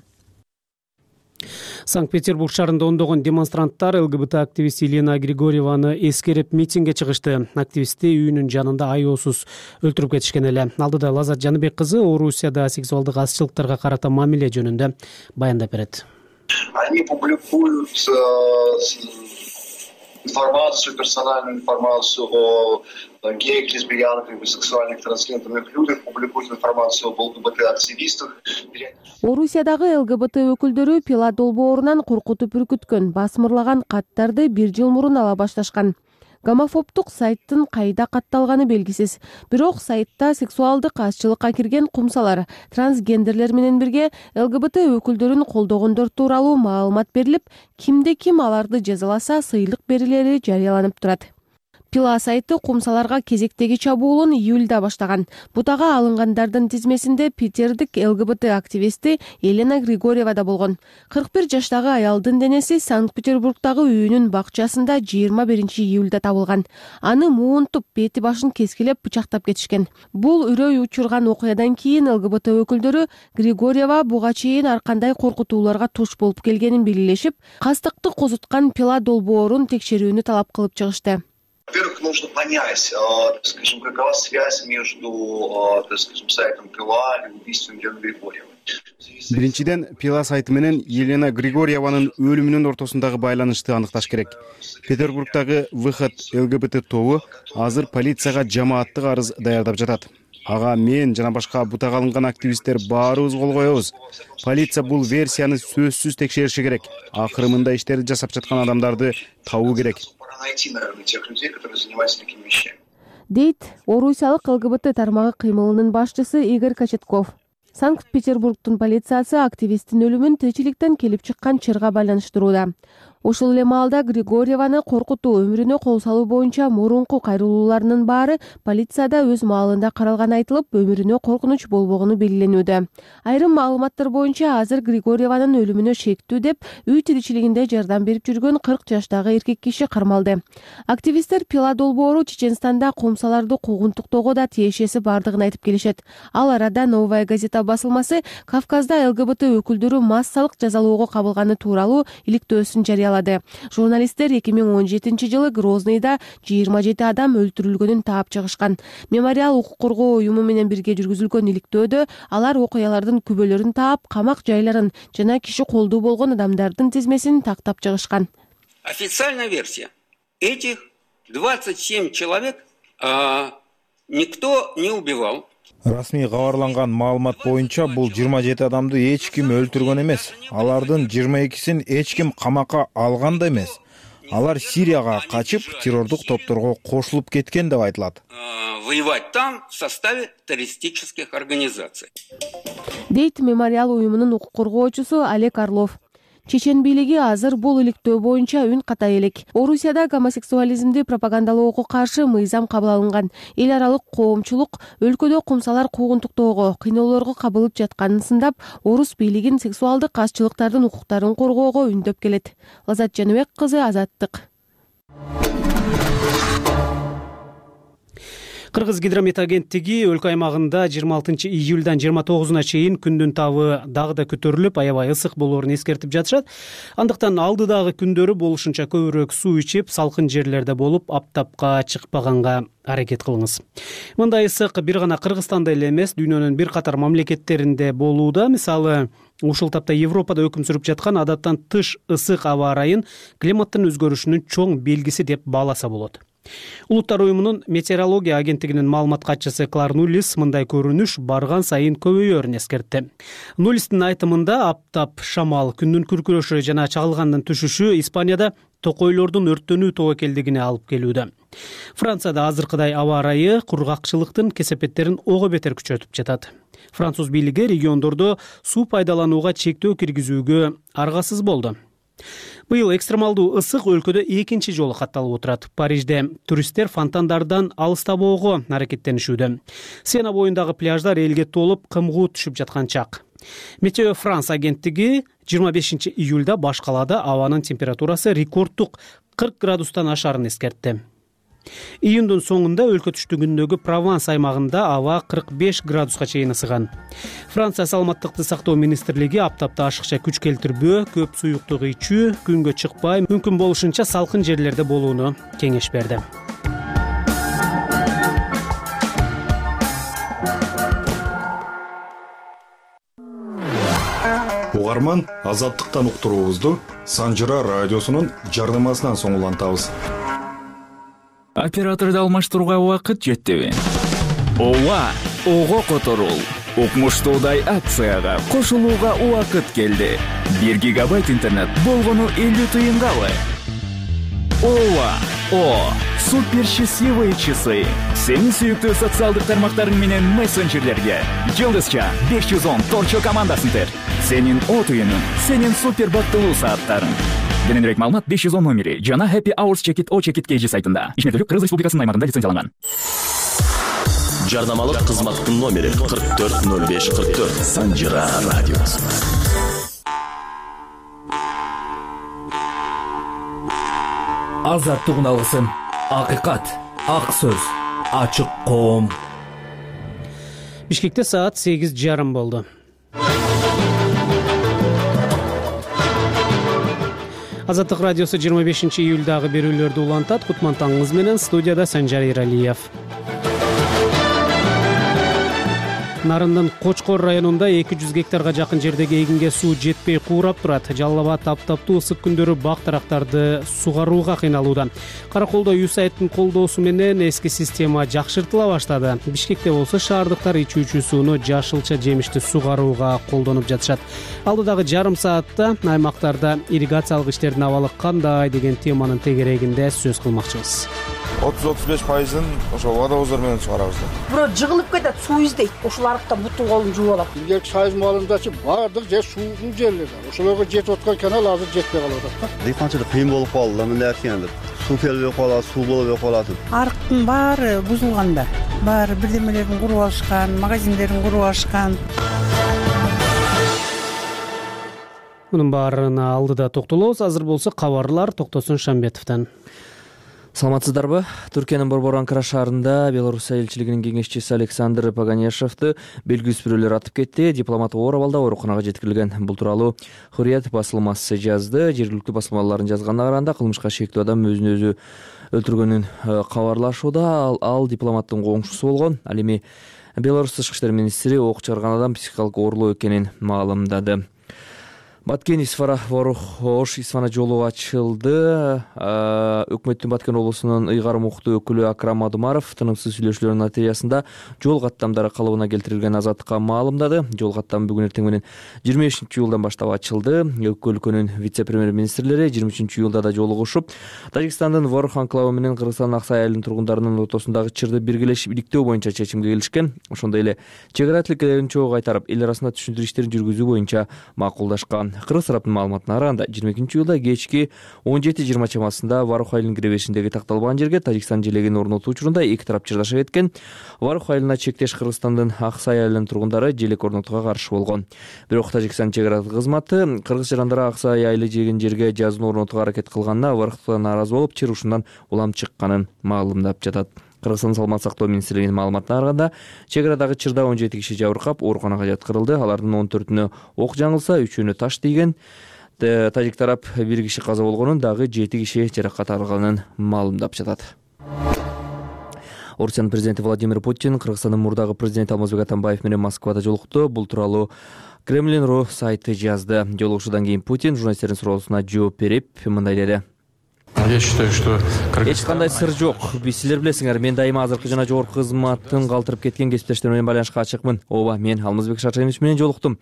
Санкт-Петербург шаарында ондогон демонстранттар ЛГБТ активисти Елена Григорьеваны эскерип митингге чыгышты. Активистти үйүнүн жанында аеосуз өлтүрүп кетишкен эле. Алдыда Лазат Жаныбек кызы Орусияда сексуалдык азчылыктарга карата мамиле жөнүндө баяндап берет. Они публикуют информацию, персональную информацию о геях, лесбиянках, бисексуальных, трансгендерных людях, публикуют информацию об ЛГБТ-активистах. Орусиядагы ЛГБТ өкүлдөрү Пила долбоорунан коркутуп үркүткөн, басмырлаган каттарды бир жыл мурун ала башташкан. Гомофобдук сайттын кайда катталганы белгисиз. Бирок сайтта сексуалдык азчылыкка кирген кумсалар, трансгендерлер менен бирге ЛГБТ өкүлдөрүн колдогондор тууралуу маалымат берилип, кимде ким аларды жазаласа сыйлык берилери жарыяланып турат. Пила сайты кумсаларга кезектеги чабуулун июлда баштаган. Бутага алынгандардын тизмесинде питердик ЛГБТ активисти Елена Григорьева да болгон. кырк бир жаштагы аялдын денеси Санкт-Петербургдагы үйүнүн бакчасында жыйырма биринчи июлда табылган. Аны муунтуп, бети башын кескилеп бычактап кетишкен. Бул үрөй учурган окуядан кийин ЛГБТ өкүлдөрү Григорьева буга чейин ар кандай коркутууларга туш болуп келгенин белгилешип, кастыкты козуткан Пила долбоорун текшерүүнү талап кылып чыгышты. Во-первых, нужно понять, скажем, какова связь между, скажем, сайтом Пила и убийством Елены Григорьевой. Биринчиден, Пила сайты менен Елена Григорьеванын өлүмүнүн ортосундагы байланышты аныкташ керек. Петербургдагы Выход ЛГБТ тобу азыр полицияга жамааттык арыз даярдап жатат. Ага мен жана башка бутага алынган активисттер баарыбыз кол коебуз. Полиция бул версияны сөзсүз текшериши керек. Акыры мындай иштерди жасап жаткан адамдарды табуу керек. Найти, наверное, тех людей, которые занимаются такими вещами. Дейт Орусиялык ЛГБТ тармагы кыймылынын башчысы Игорь Кочетков. Санкт-Петербургдун полициясы активисттин өлүмүн тиричиликтен келип чыккан чырга байланыштырууда. Ошол эле маалда Григорьеваны коркутуу, өмүрүнө кол салуу боюнча мурунку кайрылууларынын баары полицияда өз маалында каралганы айтылып, өмүрүнө коркунуч болбогону белгиленүүдө. Айрым маалыматтар боюнча азыр Григорьеванын өлүмүнө шектүү деп үй тиричилигинде жардам берип жүргөн кырк жаштагы эркек киши кармалды. Активисттер Пила долбоору Чеченстанда кумсаларды куугунтуктоого да тиешеси бардыгын айтып келишет. Ал арада Новая газета басылмасы Кавказда ЛГБТ өкүлдөрү массалык жазалоого кабылганы тууралуу иликтөөсүн жарыялады. Журналисттер эки миң он жетинчи жылы Грознийда жыйырма жети адам өлтүрүлгөнүн таап чыгышкан. Мемориал укук коргоо уюму менен бирге жүргүзүлгөн иликтөөдө алар окуялардын күбөлөрүн таап, камак жайларын жана киши колдуу болгон адамдардын тизмесин тактап чыгышкан. Официальная версия. Этих двадцать семь человек а, никто не убивал. Расмий кабарланган маалымат боюнча бул жыйырма жети адамды эч ким өлтүргөн эмес. Алардын жыйырма экисин эч ким камакка алган да эмес. Алар Сирияга качып, террордук топторго кошулуп кеткен деп айтылат. Воевать там в составе террористических организаций. Дейт мемориал уюмунун укук коргоочусу Олег Орлов. Чечен бийлиги азыр бул иликтөө боюнча үн катай элек. Орусияда гомосексуализмди пропагандалоого каршы мыйзам кабыл алынган. Эл аралык коомчулук өлкөдө кумсалар куугунтуктоого, кыйноолорго кабылып жатканын сындап, орус бийлигин сексуалдык азчылыктардын укуктарын коргоого үндөп келет. Лазат Жаныбек кызы, Азаттык. Кыргыз гидромет агенттиги өлкө аймагында жыйырма алтынчы июлдан жыйырма тогузуна чейин күндүн табы дагы да көтөрүлүп, аябай ысык болоорун эскертип жатышат. Андыктан алдыдагы күндөрү болушунча көбүрөөк суу ичип, салкын жерлерде болуп, аптапка чыкпаганга аракет кылыңыз. Мындай ысык бир гана Кыргызстанда эле эмес, дүйнөнүн бир катар мамлекеттеринде болууда. Мисалы, ушул тапта Европада өкүм сүрүп жаткан адаттан тыш ысык аба ырайын климаттын өзгөрүшүнүн чоң белгиси деп бааласа болот. Улуттар уюмунун метеорология агенттигинин маалымат катчысы Клар Нуллис мындай көрүнүш барган сайын көбөйөөрүн эскертти. Нуллистин айтымында аптап, шамал, күндүн күркүрөшү жана чагылгандын түшүшү Испанияда токойлордун өрттөнүү тобокелдигине алып келүүдө. Францияда азыркыдай аба ырайы кургакчылыктын кесепеттерин ого бетер күчөтүп жатат. Француз бийлиги региондордо суу пайдаланууга чектөө киргизүүгө аргасыз болду. Быйыл экстремалдуу ысык өлкөдө экинчи жолу катталып отурат. Парижде туристтер фонтандардан алыстабоого аракеттенишүүдө. Сена боюндагы пляждар элге толуп, кымгуу түшүп жаткан чак. Метео Франс агенттиги жыйырма бешинчи июлда баш калаада абанын температурасы рекордтук кырк градустан ашарын эскертти. Июндун соңунда өлкө түштүгүндөгү Прованс аймагында аба кырк беш градуска чейин ысыган. Франция саламаттыкты сактоо министрлиги аптапта ашыкча күч келтирбөө, көп суюктук ичүү, күнгө чыкпай, мүмкүн болушунча салкын жерлерде болууну кеңеш берди. Угарман, азаттыктан уктуруубузду Санжыра радиосунун жардамасынан соң улантабыз. Операторду алмаштырууга убакыт жеттиби? Ооба, ого которул. Укмуштуудай акцияга кошулууга убакыт келди. бир гигабайт интернет болгону элүү тыйынгабы? Ооба, о, супер счастливые часы. Сенин сүйүктүү социалдык тармактарың менен мессенджерлерге Жылдызча беш жүз он торчо командасын тер. Сенин о түйүнүң, сенин супер бактылуу сааттарың. Кененирээк маалымат беш жүз он номери жана Happy Hours Check-it O Check-it кей жи сайтында. Ишмердүүлүк Кыргыз Республикасынын аймагында лицензияланган. Жардамалык кызматтын номери кырк төрт ноль беш кырк төрт. Санжыра радиосу. Азаттык алгысын, акыйкат, ак сөз, ачык коом. Бишкекте саат сегиз жарым болду. Азаттык радиосу жыйырма бешинчи июлдагы берүүлөрдү улантат. Кутман таңыңыз менен студияда Санжар Эралиев. Нарындын Кочкор районунда эки жүз гектарга жакын жердеги эгинге суу жетпей куурап турат. Жалал Абад таптаптуу ысык күндөрү бак тарактарды сугарууга кыйналууда. Караколдо ЮСАИДтин колдоосу менен эски система жакшыртыла баштады. Бишкекте болсо шаардыктар ичүүчү сууну жашылча жемишти сугарууга колдонуп жатышат. Алдыдагы жарым саатта аймактарда ирригациялык иштердин абалы кандай деген теманын тегерегинде сөз кылмакчыбыз. отуз отуз беш пайызын ошо водовоздор менен чыгарабыз. Бирөө жыгылып кетет, суу издейт. Ошол арыкта бутун колун жууп алат. Илгерки сайыз маалымдачы баардык жер суусуз жерлер. Ошолорго жетип аткан канал азыр жетпей калып атат. Дыйканчылык кыйын болуп калды. Мындай эркендип, суу келбей калат, суу болбой калат. Арыктын баары бузулган да. Баары бирдемелерин куруп алышкан, магазиндерин куруп алышкан. Мунун баарына алдыда токтолобуз. Азыр болсо кабарлар Токтосун Шамбетовдон. Саламатсыздарбы? Түркиянын Борбор Анкара шаарында Белоруссия элчилигинин кеңешчиси Александр Паганешевди белгисиз бирөөлөр атып кетти. Дипломат оор абалда ооруканага жеткирилген. Бул тууралуу Hurriyet басылмасы жазды. Жергиликтүү басылмалардын жазганына караганда кылмышка шектүү адам өзүн өзү өлтүргөнүн кабарлашууда. Ал, ал дипломаттын коңшусу болгон. Ал эми Беларусь тышкы иштер министри ок чыгарган адам психикалык оорлоо экенин маалымдады. Баткен Исфара Ворух Ош Исфана жолу ачылды. Өкмөттүн Баткен облусунун ыйгарым укуктуу өкүлү Акрам Адумаров тынымсыз сүйлөшүүлөрдүн натыйжасында жол каттамдары калыбына келтирилген азаттыкка маалымдады. Жол каттамы бүгүн эртең менен жыйырма бешинчи июлдан баштап ачылды. Эки өлкөнүн вице-премьер-министрлери жыйырма үчүнчү июлда да жолугушуп, Тажикстандын Ворух анклавы менен Кыргызстандын Аксай айылынын тургундарынын ортосундагы чырды биргелешип иликтөө боюнча чечимге келишкен. Ошондой эле чек ара тилкелерин чогуу кайтарып, эл арасында түшүндүрүү иштерин жүргүзүү боюнча макулдашкан. Кыргыз тараптын маалыматына караганда жыйырма экинчи июлда кечки он жети жыйырма чамасында Ворух айылынын киребешиндеги такталбаган жерге Тажикстан желегин орнотуу учурунда эки тарап чырдаша кеткен. Ворух айылына чектеш Кыргызстандын Аксай айылынын тургундары желек орнотууга каршы болгон. Бирок Тажикстан чек ара кызматы кыргыз жарандары Аксай айылы деген жерге жазууну орнотууга аракет кылганына Воруктан нааразы болуп, чыр ушундан улам чыкканын маалымдап жатат. Кыргызстан саламат сактоо министрлигинин маалыматына караганда, чек арадагы чырда он жети киши жабыркап, ооруканага жаткырылды. Алардын он төртүнө ок жаңылса, үчөөнө таш тийген. Тажик тарап бир киши каза болгонун, дагы жети киши жаракат алганын маалымдап жатат. Орусиянын президенти Владимир Путин Кыргызстандын мурдагы президенти Алмазбек Атамбаев менен Москвада жолукту. Бул тууралуу Кремлин.ру сайты жазды. Жолугушуудан кийин Путин журналисттердин суроосуна жооп берип, мындай деди. Я считаю, что эч кандай сыр жок. Биз силер билесиңер, мен дайыма азыркы жана жогорку кызматтын калтырып кеткен кесиптештерим менен байланышка ачыкмын. Ооба, мен Алмазбек Шаршенович менен жолуктум.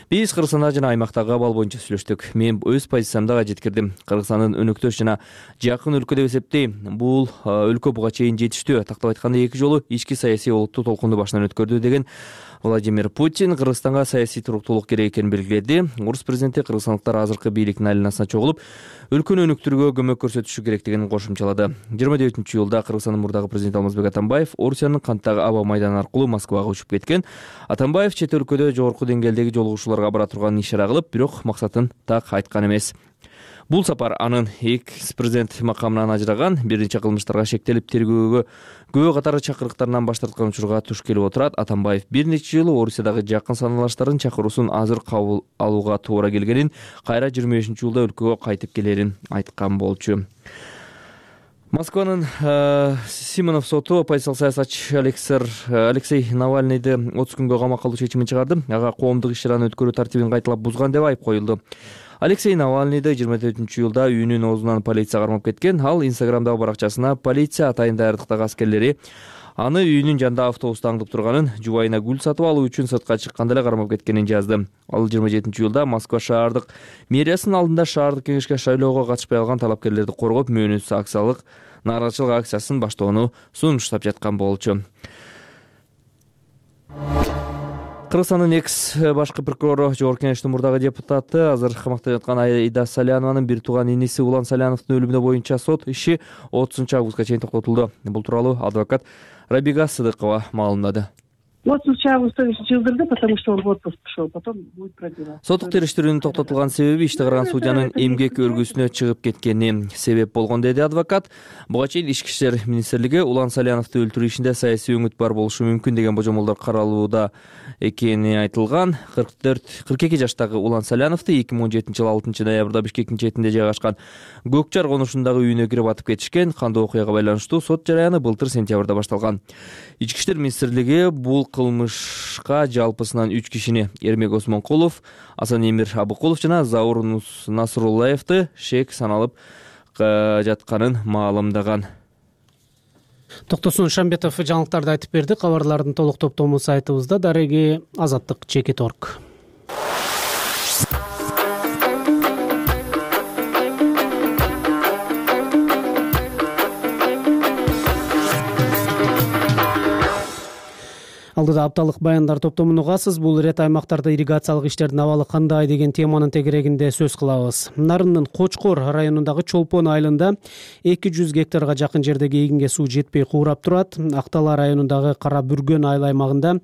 Биз Кыргызстанда жана аймактагы абал боюнча сүйлөштүк. Мен өз позициямды жеткирдим. Кыргызстандын өнөктөш жана жакын өлкө деп эсептейм. Бул өлкө буга чейин жетиштүү. Тактап айтканда эки жолу ички саясий олуттуу толкунду башынан өткөрдү деген Владимир Путин Кыргызстанга саясий туруктуулук керек экенин белгиледи. Орус президенти кыргызстандыктар азыркы бийликтин айланасына чогулуп, өлкөнү өнүктүрүүгө көмөк көрсөтүшү керектигин кошумчалады. жыйырма девятинчи июлда Кыргызстандын мурдагы президенти Алмазбек Атамбаев Орусиянын Канттагы аба майданы аркылуу Москвага учуп кеткен. Атамбаев чет өлкөдө жогорку деңгээлдеги жолугушууларга бара турганын ишара кылып, бирок максатын так айткан эмес. Бул сапар анын экс президент макамынан ажыраган, бир нече кылмыштарга шектелип тергөөгө күбө катары чакырыктарынан баш тарткан учурга туш келип отурат. Атамбаев бир нече жыл Орусиядагы жакын саналаштарын чакыруусун азыр кабыл алууга туура келгенин, кайра жыйырма бешинчи жылда өлкөгө кайтып келерин айткан болчу. Москванын Симонов соту оппозициялык саясатчы Алексей Навальныйды отуз күнгө камакка алуу чечимин чыгарды. Ага коомдук иш-чараны өткөрүү тартибин кайталап бузган деп айып коюлду. Алексей Навальныйды жыйырма төртүнчү жылда үйүнүн оозунан полиция кармап кеткен. Ал Инстаграмдагы баракчасына полиция атайын даярдыктагы аскерлери аны үйүнүн жанында автобуста аңдып турганын, жубайына гүл сатып алуу үчүн сыртка чыкканда эле кармап кеткенин жазды. Ал жыйырма жетинчи жылда Москва шаардык мэриясынын алдында шаардык кеңешке шайлоого катышпай алган талапкерлерди коргоп, мөөнөтсүз акциялык нааразычылык акциясын баштоону сунуштап жаткан болчу. Кыргызстандын экс башкы прокурору, жогорку кеңештин мурдагы депутаты, азыр камакта жаткан Аида Салянованын бир тууган иниси Улан Саляновдун өлүмүнө боюнча сот иши отузунчу августка чейин токтотулду. Бул тууралуу адвокат Рабига Сыдыкова маалымдады. отузунчу августта жылдырды, потому что он в отпуск пошел, потом будет продлеваться. Соттук териштирүүнүн токтотулган себеби ишти караган судьянын эмгек өргүсүнө чыгып кеткени себеп болгон, деди адвокат. Буга чейин Ички иштер министрлиги Улан Саляновду өлтүрүү ишинде саясий өңүт бар болушу мүмкүн деген божомолдор каралууда экени айтылган. кырк төрт кырк эки жаштагы Улан Саляновду эки миң он жетинчи жылы алтынчы ноябрда Бишкектин четинде жайгашкан Көк Жар конушундагы үйүнө кирип атып кетишкен. Кандуу окуяга байланыштуу сот жараяны былтыр сентябрда башталган. Ички иштер министрлиги бул кылмышка жалпысынан үч кишини Эрмек Осмонкулов, Асанемир Абыкулов жана Заур Насруллаевди шек саналып жатканын маалымдаган. Токтосун Шамбетов жаңылыктарды айтып берди. Кабарлардын толук топтому сайтыбызда. Дареги азаттык чекит точка орг. Алдыда апталык баяндар топтомун угасыз. Бул ирет аймактарда ирригациялык иштердин абалы кандай деген теманын тегерегинде сөз кылабыз. Нарындын Кочкор районундагы Чолпон айылында эки жүз гектарга жакын жердеги эгинге суу жетпей куурап турат. Актала районундагы Кара Бүргөн айыл аймагында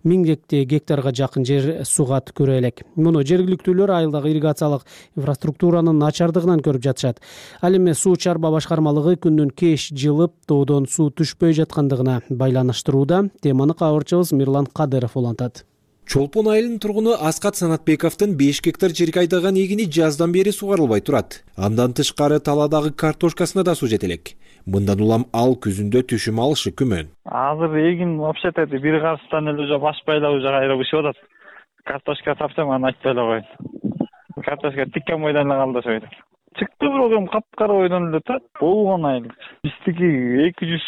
миң гектарга жакын жер сууга түкөрө элек. Муну жергиликтүүлөр айылдагы ирригациялык инфраструктуранын начардыгынан көрүп жатышат. Ал эми суу чарба башкармалыгы күндүн кеч жылып, тоодон суу түшпөй жаткандыгына байланыштырууда. Теманы кабарчыбыз Мирлан Кадыров улантат. Чолпон айылынын тургуну Аскат Санатбековдун беш гектар жерге айдаган эгини жаздан бери сугарылбай турат. Андан тышкары таладагы картошкасына да суу жете элек. Мындан улам ал күзүндө түшүм алышы күмөн. Азыр эгин вообще-то бир карыстан эле уже башпайлап уже кайра бышып атат. Картошка тапсам аны айтпай эле коеюн. Картошка тиккен бойдон эле калды ошойду. Чыкты бирок эми капкара бойдон эле турат. Болгон айыл. Биздики эки жүз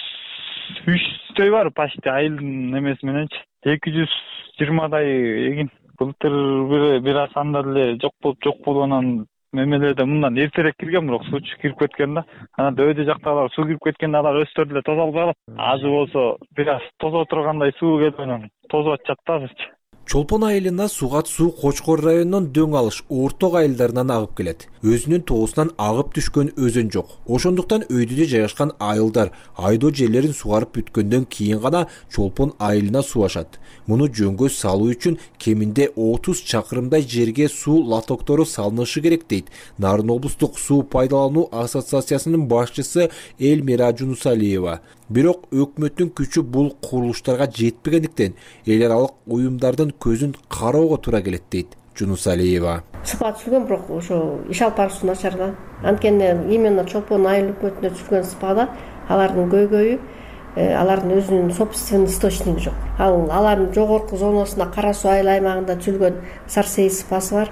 үчтөй бар почти айылдын эмеси мененчи. эки жүз жыйырмадай эгин. Былтыр бир бир аз анда эле жок болуп жок болгонун мемелерде мындан эртерээк кирген, бирок суу кирип кеткен да. Анан дөйдө жактагылар суу кирип кеткенде алар өздөрү эле тоза албай калат. Азыр болсо бир аз тозо тургандай суу келип анан тозуп атышат да азырчы. Чолпон айылына сугат суу Кочкор районунун Дөң алыш, Орток айылдарынан агып келет. Өзүнүн тоосунан агып түшкөн өзөн жок. Ошондуктан өйдүдө жайгашкан айылдар айдоо жерлерин сугарып бүткөндөн кийин гана Чолпон айылына суу ашат. Муну жөнгө салуу үчүн кеминде отуз чакырымдай жерге суу лотоктору салынышы керек дейт Нарын облустук суу пайдалануу ассоциациясынын башчысы Элмира Жунусалиева. Бирок өкмөттүн күчү бул курулуштарга жетпегендиктен эл аралык уюмдардын көзүн кароого туура келет дейт Жунусалиева. Сыпа түшүлгөн, бирок ошо иш алып баруусу начар да. Анткени именно Чолпон айыл өкмөтүнө түшүлгөн сыпада алардын көйгөйү, алардын өзүнүн собственный источниги жок. Ал алардын жогорку зонасында Кара Суу айыл аймагында түшүлгөн Сарсей сыпасы бар.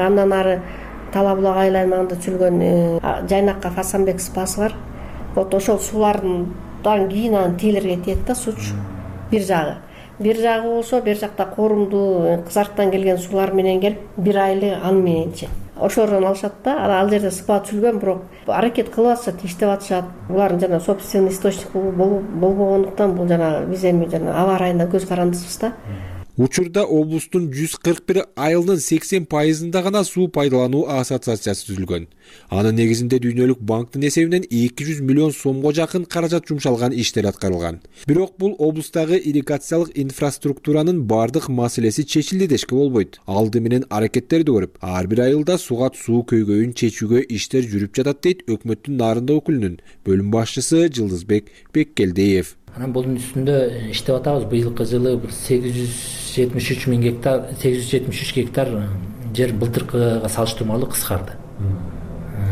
Андан ары Тала булак айыл аймагында түшүлгөн Жайнакка Фасанбек сыпасы бар. Вот ошол суулардын дан кийин анан тейлерге тиет да сууч. Бир жагы. Бир жагы болсо, бир жакта корумду кызарттан келген суулар менен келип, бир айлы аны мененчи. Ошордон алышат да, ал жерде сыпа түшүлгөн, бирок аракет кылып атышат, иштеп атышат. Булардын жана собственный источник болбогондуктан бул жана биз эми жана аба ырайында көз карандысыбыз да. Учурда облустун жүз кырк бир айылынын сексен пайызында гана суу пайдалануу ассоциациясы түзүлгөн. Анын негизинде Дүйнөлүк банктын эсебинен эки жүз миллион сомго жакын каражат жумшалган иштер аткарылган. Бирок бул облустагы ирригациялык инфраструктуранын бардык маселеси чечилди дешке болбойт. Алды менен аракеттерди көрүп, ар бир айылда сугат суу көйгөйүн чечүүгө иштер жүрүп жатат дейт өкмөттүн Нарында өкүлүнүн бөлүм башчысы Жылдызбек Беккелдиев. Анан бунун үстүндө иштеп атабыз. Быйылкы жылы бир сегиз жүз жетимиш үч миң гектар, сегиз жүз жетимиш үч гектар жер былтыркыга салыштырмалуу кыскарды.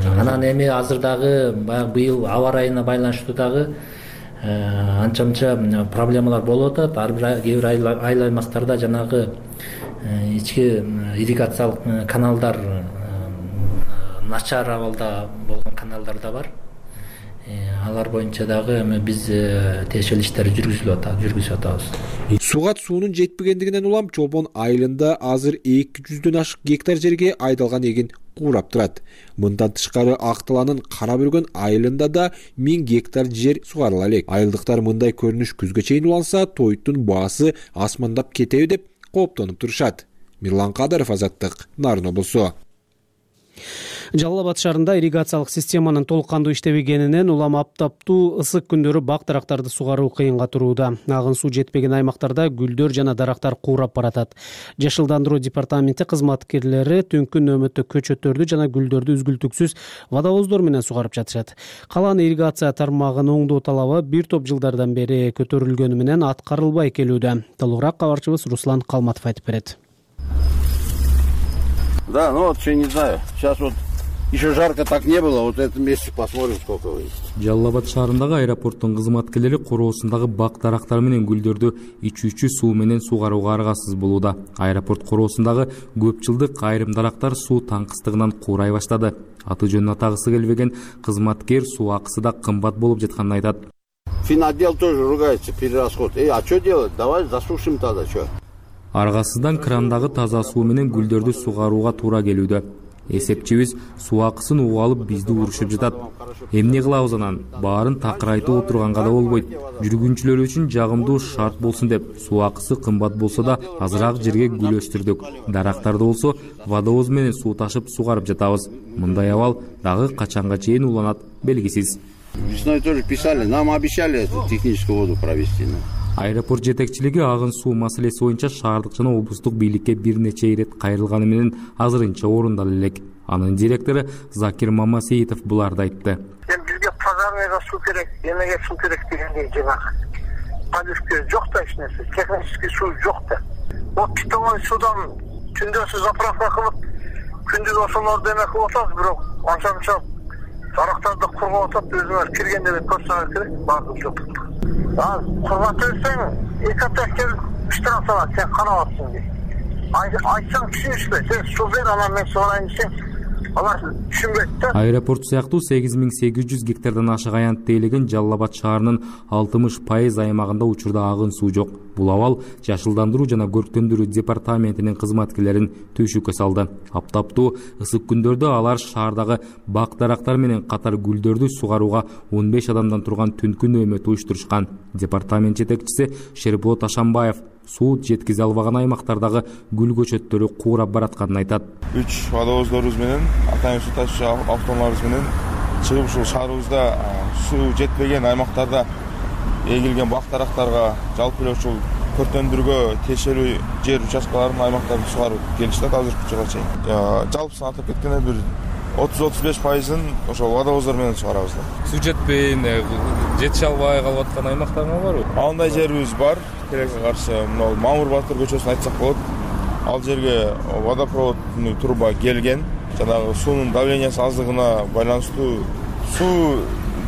Анан эми азыр дагы баягы быйыл аба ырайына байланыштуу дагы анча мынча проблемалар болуп атат. Ар бир кээ бир айыл аймактарда жанагы ички ирригациялык каналдар начар абалда болгон каналдар да бар. Алар боюнча дагы эми биз тиешелүү иштерди жүргүзүп жүргүзүп атабыз. Сугат суунун жетпегендигинен улам Чолпон айылында азыр эки жүздөн ашык гектар жерге айдалган эгин куурап турат. Мындан тышкары Ак Талаанын Кара Бүргөн айылында да миң гектар жер сугарыла элек. Айылдыктар мындай көрүнүш күзгө чейин уланса, тоюттун баасы асмандап кетеби деп кооптонуп турушат. Мирлан Кадыров, Азаттык, Нарын облусу. Жалал Абад шаарында ирригациялык системанын толук кандуу иштебегенинен улам аптаптуу ысык күндөрү бак дарактарды сугаруу кыйынга турууда. Агын суу жетпеген аймактарда гүлдөр жана дарактар куурап баратат. Жашылдандыруу департаменти кызматкерлери түнкү нөөмөттө көчөттөрдү жана гүлдөрдү үзгүлтүксүз водовоздор менен сугарып жатышат. Калан ирригация тармагын оңдоо талабы бир топ жылдардан бери көтөрүлгөнү менен аткарылбай келүүдө. Толугураак кабарчыбыз Руслан Калматов айтып берет. Да, ну вот, я не знаю, сейчас вот еще жарко так не было, вот в этом месте посмотрим, сколько есть. Жалал Абад шаарындагы аэропорттун кызматкерлери короосундагы бак дарактар менен гүлдөрдү ичүүчү суу менен сугарууга аргасыз болууда. Аэропорт короосундагы көп жылдык айрым дарактар суу таңкыстыгынан куурай баштады. Аты жөнүн атагысы келбеген кызматкер суу акысы да кымбат болуп жатканын айтат. Финотдел тоже ругается, перерасход. Эй, а что делать? Давай засушим тогда, что? Аргасыздан крандагы таза суу менен гүлдөрдү сугарууга туура келүүдө. Эсепчибиз суу акысын угуп алып бизди урушуп жатат. Эмне кылабыз анан? Баарын такырайтып отурганга да болбойт. Жүргүнчүлөр үчүн жагымдуу шарт болсун деп суу акысы кымбат болсо да азыраак жерге гүл өстүрдүк. Дарактарды болсо водовоз менен суу ташып сугарып жатабыз. Мындай абал дагы качанга чейин уланат белгисиз. Весной тоже писали, нам обещали эту техническую воду провести. Аэропорт жетекчилиги агын суу маселеси боюнча шаардык жана облустук бийликке бир нече ирет кайрылганы менен азырынча орундала элек. Анын директору Закир Мамасеитов буларды айтты. Эми бизге пожарныйга суу керек, эмеге суу керек дегендей жанагы. Подушка жок да эч нерсе, технический суу жок да. Вот питьевой судан түндөсү заправка кылып, күндүз ошолорду эме кылып атабыз, бирок анча-мынча дарактарды кургап атат, өзүңөр киргенде көрсөңөр керек, баардык жок. А кургап берсең, эки апта келип иштеп салат, сен канап атсың дейт. Айтсаң түшүнүшпөй, сен суу бер, анан мен сугарайын десең, алар түшүнбөйт да. Аэропорт сыяктуу сегиз миң сегиз жүз гектардан ашык аянт тейлеген Жалал Абад шаарынын алтымыш пайыз аймагында учурда агын суу жок. Бул абал Жашылдандыруу жана көрктөндүрүү департаментинин кызматкерлерин түйшүккө салды. Аптаптуу ысык күндөрдө алар шаардагы бак дарактар менен катар гүлдөрдү сугарууга он беш адамдан турган түнкү нөөмөт уюштурушкан. Департамент жетекчиси Шерболот Ашанбаев суу жеткизе албаган аймактардагы гүл көчөттөрү куурап баратканын айтат. Үч водовоздорубуз менен, атайын суу ташуучу автоунааларыбыз менен чыгып ушул шаарыбызда суу жетпеген аймактарда эгилген бак дарактарга жалпы эле ушул көрктөндүрүүгө тиешелүү жер участкаларын аймактарын сугарып келишти азыркы учурга чейин. Жалпысын атап кеткенде бир отуз отуз беш пайызын ошол водовоздор менен сугарабыз да. Суу жетпей, жетише албай калып аткан аймактарыңар барбы? Андай жерибиз бар. Керекке каршы мына Мамыр Батыр көчөсүн айтсак болот. Ал жерге водопроводный труба келген. Жанагы суунун давлениясы аздыгына байланыштуу суу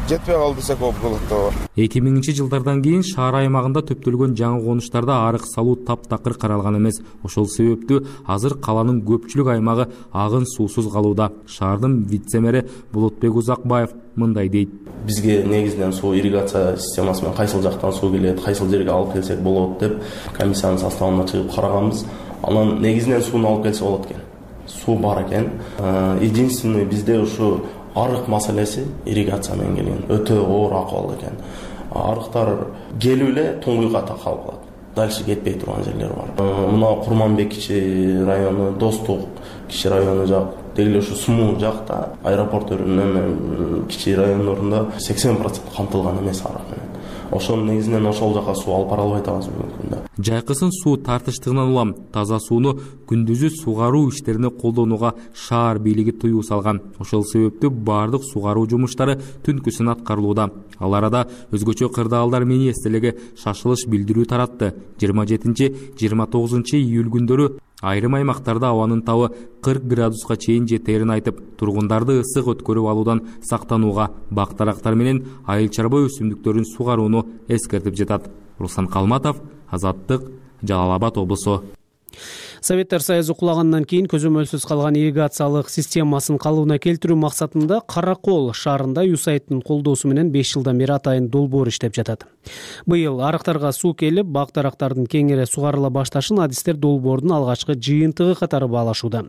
жетпей калды десек болот да. эки миңинчи жылдардан кийин шаар аймагында төптөлгөн жаңы конуштарда арык салуу таптакыр каралган эмес. Ошол себептүү азыр каланын көпчүлүк аймагы агын суусуз калууда. Шаардын вице-мэри Болотбек Узакбаев мындай дейт. Бизге негизинен суу ирригация системасы менен кайсыл жактан суу келет, кайсыл жерге алып келсек болот деп комиссиянын составына чыгып караганбыз. Анан негизинен сууну алып келсе болот экен. Суу бар экен. Единственный бизде ушу арык маселеси ирригация менен келген өтө оор акыбал экен. Арыктар келип эле туңгуйга такалып калат. дальше кетпей турган жерлер бар. Мына Курманбек кичи району, Достук кичи району жак, деги ушу Суму жакта аэропорттун кичи райондорунда сексен процент камтылган эмес арак менен. Ошонун негизинен ошол жака суу алып бара албай атабыз бүгүнкү күндө. Жайкысын суу тартыштыгынан улам таза сууну күндүзү сугаруу иштерине колдонууга шаар бийлиги тыюу салган. Ошол себептүү бардык сугаруу жумуштары түнкүсүн аткарылууда. Ал арада өзгөчө кырдаалдар министрлиги шашылыш билдирүү таратты. жыйырма жетинчи жыйырма тогузунчу июль күндөрү айрым аймактарда абанын табы кырк градуска чейин жетерин айтып, тургундарды ысык өткөрүп алуудан сактанууга, бак-дарактар менен айыл чарба өсүмдүктөрүн сугарууну эскертип жатат. Руслан Калматов, Азаттык, Жалал Абад облусу. Советтер Союзу кулагандан кийин көзөмөлсүз калган ирригациялык системасын калыбына келтирүү максатында Каракол шаарында ЮСАИДтин колдоосу менен беш жылдан бери атайын долбоор иштеп жатат. Быйыл арыктарга суу келип, бак-дарактардын кеңири сугарыла башташын адистер долбоордун алгачкы жыйынтыгы катары баалашууда.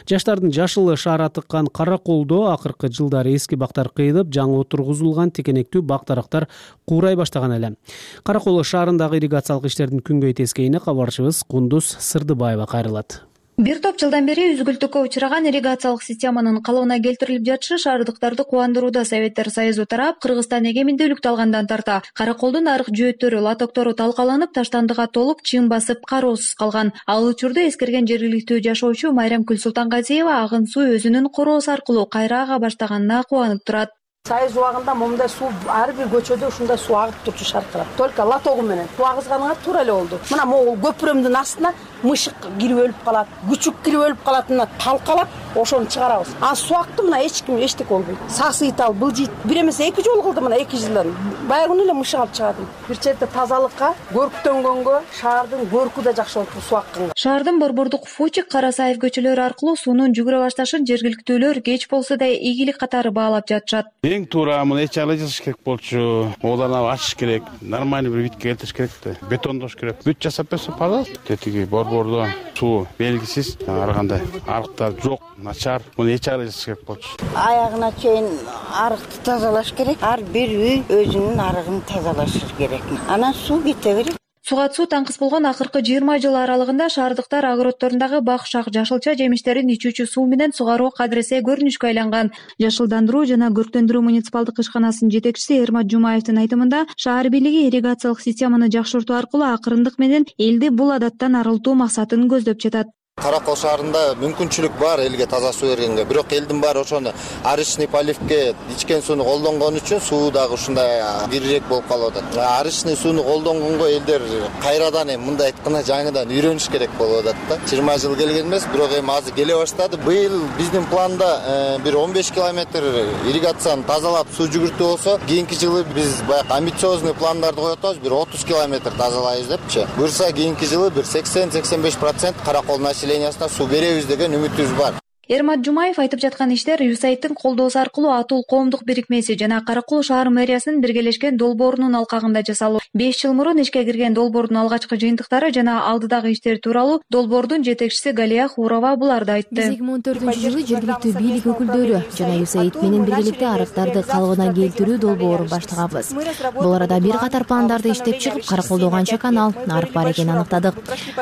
Жаштардын жашылы шаара тыккан Караколдо акыркы жылдары эски бактар кыйылып, жаңы отургузулган текенектүү бак-дарактар куурай баштаган эле. Каракол шаарындагы ирригациялык иштердин күнгөй тескейине кабарчыбыз Кундуз Сырдыбаева кайрылат. Бир топ жылдан бери үзгүлтүккө учураган ирригациялык системанын калыбына келтирилип жатышы шаардыктарды кубандырууда. Советтер Союзу тарап Кыргызстан эгемендүүлүктү алгандан тарта Караколдун арык жөөттөрү, лотоктору талкаланып, таштандыга толуп, чың басып, кароосуз калган. Ал учурда эскерген жергиликтүү жашоочу Майрамкүл Султангазиева агын суу өзүнүн короосу аркылуу кайра ага баштаганына кубанып турат. Союз убагында момундай суу ар бир көчөдө ушундай суу агып турчу шаркырап. Только лотогу менен суу агызганыңа туура эле болду. Мына могул көпүрөмдүн астына мышык кирип өлүп калат, күчүк кирип өлүп калатына талкалап, ошону чыгарабыз. А суу акты мына эч ким эчтеке болбойт. Сасыйтал, былжыйт. Бир эмес эки жолу кылды мына эки жылдан. Баягы эле мышык алып чыгардым. Бир четте тазалыкка, көрктөнгөнгө, шаардын көркү да жакшы болуп суу акканга. Шаардын Борбордук, Фучик, Карасаев көчөлөрү аркылуу суунун жүгүрө башташын жергиликтүүлөр кеч болсо да ийгилик катары баалап жатышат. Эң туура муну эч айлы жасаш керек болчу. Одан ачыш керек, нормальный бир витке келтириш керек да. Бетондош керек. Бүт жасап берсе, пожалуйста. Тетиги борбордо суу белгисиз, ар кандай арыктар жок, начар. Муну эч айлы жасаш керек болчу. Аягына чейин арыкты тазалаш керек. Ар бир үй өзүнүн арыгын тазалашы керек. Анан суу кете берет. Суга суу таңкыс болгон акыркы жыйырма жыл аралыгында шаардыктар огородторундагы бак-шак жашылча жемиштерин ичүүчү суу менен сугаруу кадыресе көрүнүшкө айланган. Жашылдандыруу жана көрктөндүрүү муниципалдык ишканасынын жетекчиси Эрмат Жумаевдин айтымында, шаар бийлиги ирригациялык системаны жакшыртуу аркылуу акырындык менен элди бул адаттан арылтуу максатын көздөп жатат. Каракол шаарында мүмкүнчүлүк бар элге таза суу бергенге, бирок элдин баары ошону арычный поливке ичкен сууну колдонгон үчүн суу дагы ушундай кирирээк болуп калып атат. Арычный сууну колдонгонго элдер кайрадан эми мындай айтканда жаңыдан үйрөнүш керек болуп атат да. жыйырма жыл келген эмес, бирок эми азыр келе баштады. Быйыл биздин планда бир он беш километр ирригацияны тазалап суу жүгүртүү болсо, кийинки жылы биз баягы амбициозный пландарды коюп атабыз, бир отуз километр тазалайбыз депчи. Буюрса кийинки жылы бир сексен сексен беш процент Каракол суу беребиз деген үмүтүбүз бар. Эрмат Жумаев айтып жаткан иштер ЮСАИДтин колдоосу аркылуу Атул коомдук бирикмеси жана Каракол шаар мэриясынын биргелешкен долбоорунун алкагында жасалуу. беш жыл мурун ишке кирген долбоордун алгачкы жыйынтыктары жана алдыдагы иштер тууралуу долбоордун жетекчиси Галия Хурова буларды айтты. Биз эки миң он төртүнчү жылы жергиликтүү бийлик өкүлдөрү жана ЮСАИД менен биргеликте арыктарды калыбына келтирүү долбоорун баштаганбыз. Бул арада бир катар пландарды иштеп чыгып, Караколдо канча канал, арык бар экенин аныктадык.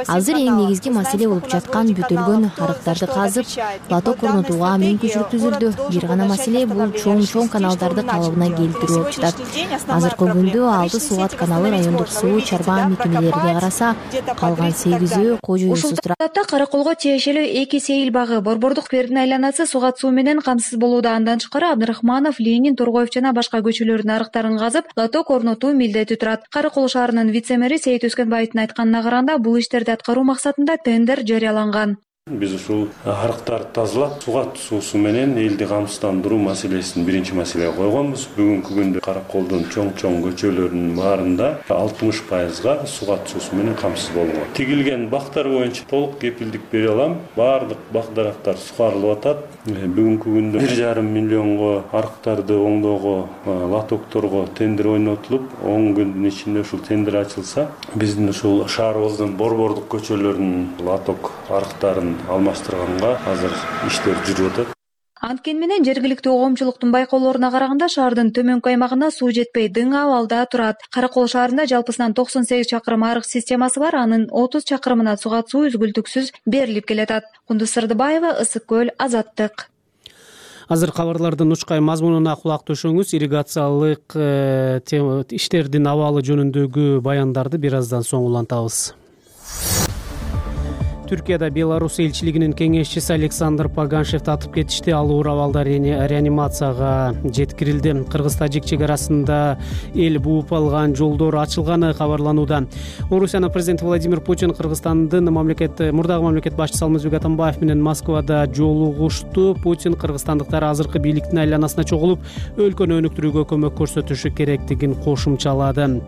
Азыр эң негизги маселе болуп жаткан бүтүлгөн арыктарды казып, лоток орнотууга мүмкүнчүлүк түзүлдү. Бир гана маселе бул чоң-чоң каналдарды калыбына келтирүү болуп жатат. Азыркы күндө алты Сууат каналы райондук суу чарба мекемелерине караса, калган сегизөө кожоюусуз турат. Ушул Караколго тиешелүү эки сейил багы, Борбордук Бердин айланасы сугат суу менен камсыз болууда. Андан тышкары Абдрахманов, Ленин, Тургоев жана башка көчөлөрдүн арыктарын казып, лоток орнотуу милдети турат. Каракол шаарынын вице-мэри Сейит Өскөнбаевдин айтканына караганда, бул иштерди аткаруу максатында тендер жарыяланган. Биз ушул арыктарды тазалап, сугат суусу менен элди камсыздандыруу маселесин биринчи маселеге койгонбуз. Бүгүнкү күндө Караколдун чоң-чоң көчөлөрүнүн баарында алтымыш пайызга сугат суусу менен камсыз болгон. Тигилген бактар боюнча толук кепилдик бере алам. Баардык бак-дарактар сугарылып атат. Бүгүнкү күндө бир жарым миллионго арыктарды оңдоого, лотокторго тендер ойнотулуп, он күндүн ичинде ушул тендер ачылса, биздин ушул шаарыбыздын борбордук көчөлөрүнүн лоток арыктарын алмаштырганга азыр иштер жүрүп атат. Анткени менен жергиликтүү коомчулуктун байкоолоруна караганда шаардын төмөнкү аймагына суу жетпей дың абалда турат. Каракол шаарында жалпысынан токсон сегиз чакырым арык системасы бар, анын отуз чакырымына сугат суу үзгүлтүксүз берилип келатат. Кундуз Сырдыбаева, Ысык көл, Азаттык. Азыр кабарлардын учкай мазмунуна кулак төшөңүз. Ирригациялык иштердин абалы жөнүндөгү баяндарды бир аздан соң улантабыз. Түркияда Беларусь элчилигинин кеңешчиси Александр Паганшев татып кетишти. Ал оор абалда реанимацияга жеткирилди. Кыргыз-Тажик чек арасында эл бууп алган жолдор ачылганы кабарланууда. Орусиянын президенти Владимир Путин Кыргызстандын мамлекет мурдагы мамлекет башчысы Алмазбек Атамбаев менен Москвада жолугушту. Путин кыргызстандыктар азыркы бийликтин айланасына чогулуп, өлкөнү өнүктүрүүгө көмөк көрсөтүшү керектигин кошумчалады.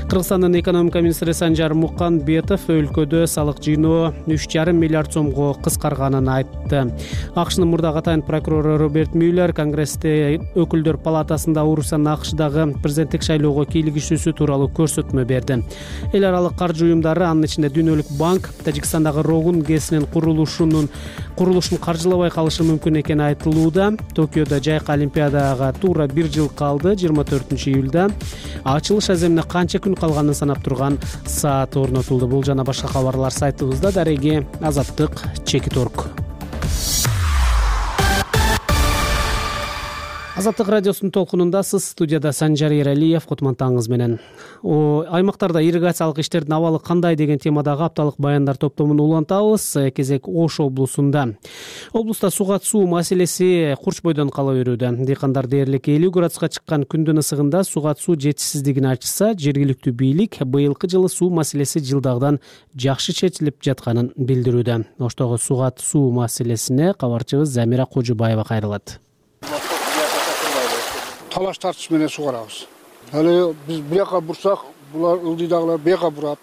Кыргызстандын экономика министри Санжар Муканбетов өлкөдө салык жыйноо үч жарым миллиард сомго кыскарганын айтты. АКШнын мурдагы атайын прокурору Роберт Мюллер Конгрессте өкүлдөр палатасында Орусиянын АКШдагы президенттик шайлоого кийлигишүүсү тууралуу көрсөтмө берди. Эл аралык каржы уюмдары, анын ичинде Дүйнөлүк банк, Тажикстандагы Рогун ГЭСинин курулушунун курулушун каржылабай калышы мүмкүн экени айтылууда. Токиодо жайкы олимпиадага туура бир жыл калды. жыйырма төртүнчү июлда ачылыш аземине канча күн калганын санап турган саат орнотулду. Бул жана башка кабарлар сайтыбызда. Дареги Азаттык, Чекиторг. Азаттык радиосунун толкунундасыз. Студияда Санжар Эралиев, Кутмантаңыз менен. Аймактарда ирригациялык иштердин абалы кандай деген темадагы апталык баяндар топтомун улантабыз. Кезек Ош облусунда. Облуста сугат суу маселеси курч бойдон кала берүүдө. Дыйкандар дээрлик элүү градуска чыккан күндүн ысыгында сугат суу жетишсиздигин айтышса, жергиликтүү бийлик быйылкы жылы суу маселеси жылдагыдан жакшы чечилип жатканын билдирүүдө. Оштогу сугат суу маселесине кабарчыбыз Замира Кожубаева кайрылат. Талаш тартыш менен сугарабыз. Аны биз бияка бурсак, булар ылдыйдагылар бияка бурат.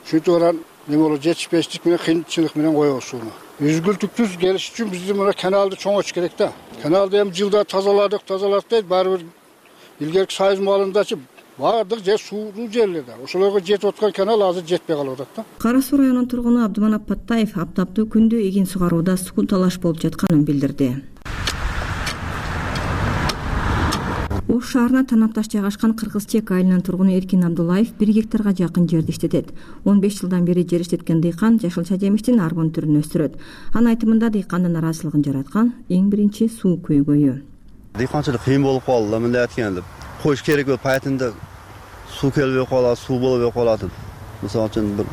Шөтүп баран эме болот, жетишпештик менен кыйынчылык менен коебуз сууну. Үзгүлтүксүз келиш үчүн биздин мына каналды чоңойтуш керек да. Каналды эми жылда тазаладык, тазаладык дейт, баары бир илгерки Союз маалындачы баардык жер сууну жерлерде. Ошолорго жетип аткан канал азыр жетпей калып атат да. Кара Суу районунун тургуну Абдыманап Паттаев аптаптуу күндө эгин сугарууда суу талаш болуп жатканын билдирди. Ош шаарына танапташ жайгашкан Кыргыз-Чек айылынын тургуну Эркин Абдуллаев бир гектарга жакын жерди иштетет. он беш жылдан бери жер иштеткен дыйкан жашылча жемиштин арбын түрүн өстүрөт. Анын айтымында дыйкандын нараазычылыгын жараткан эң биринчи суу көйгөйү. Дыйканчылык кыйын болуп калды, мындай айтканда. Коюш керек болуп паятында суу келбей калат, суу болбой калат. Мисалы үчүн бир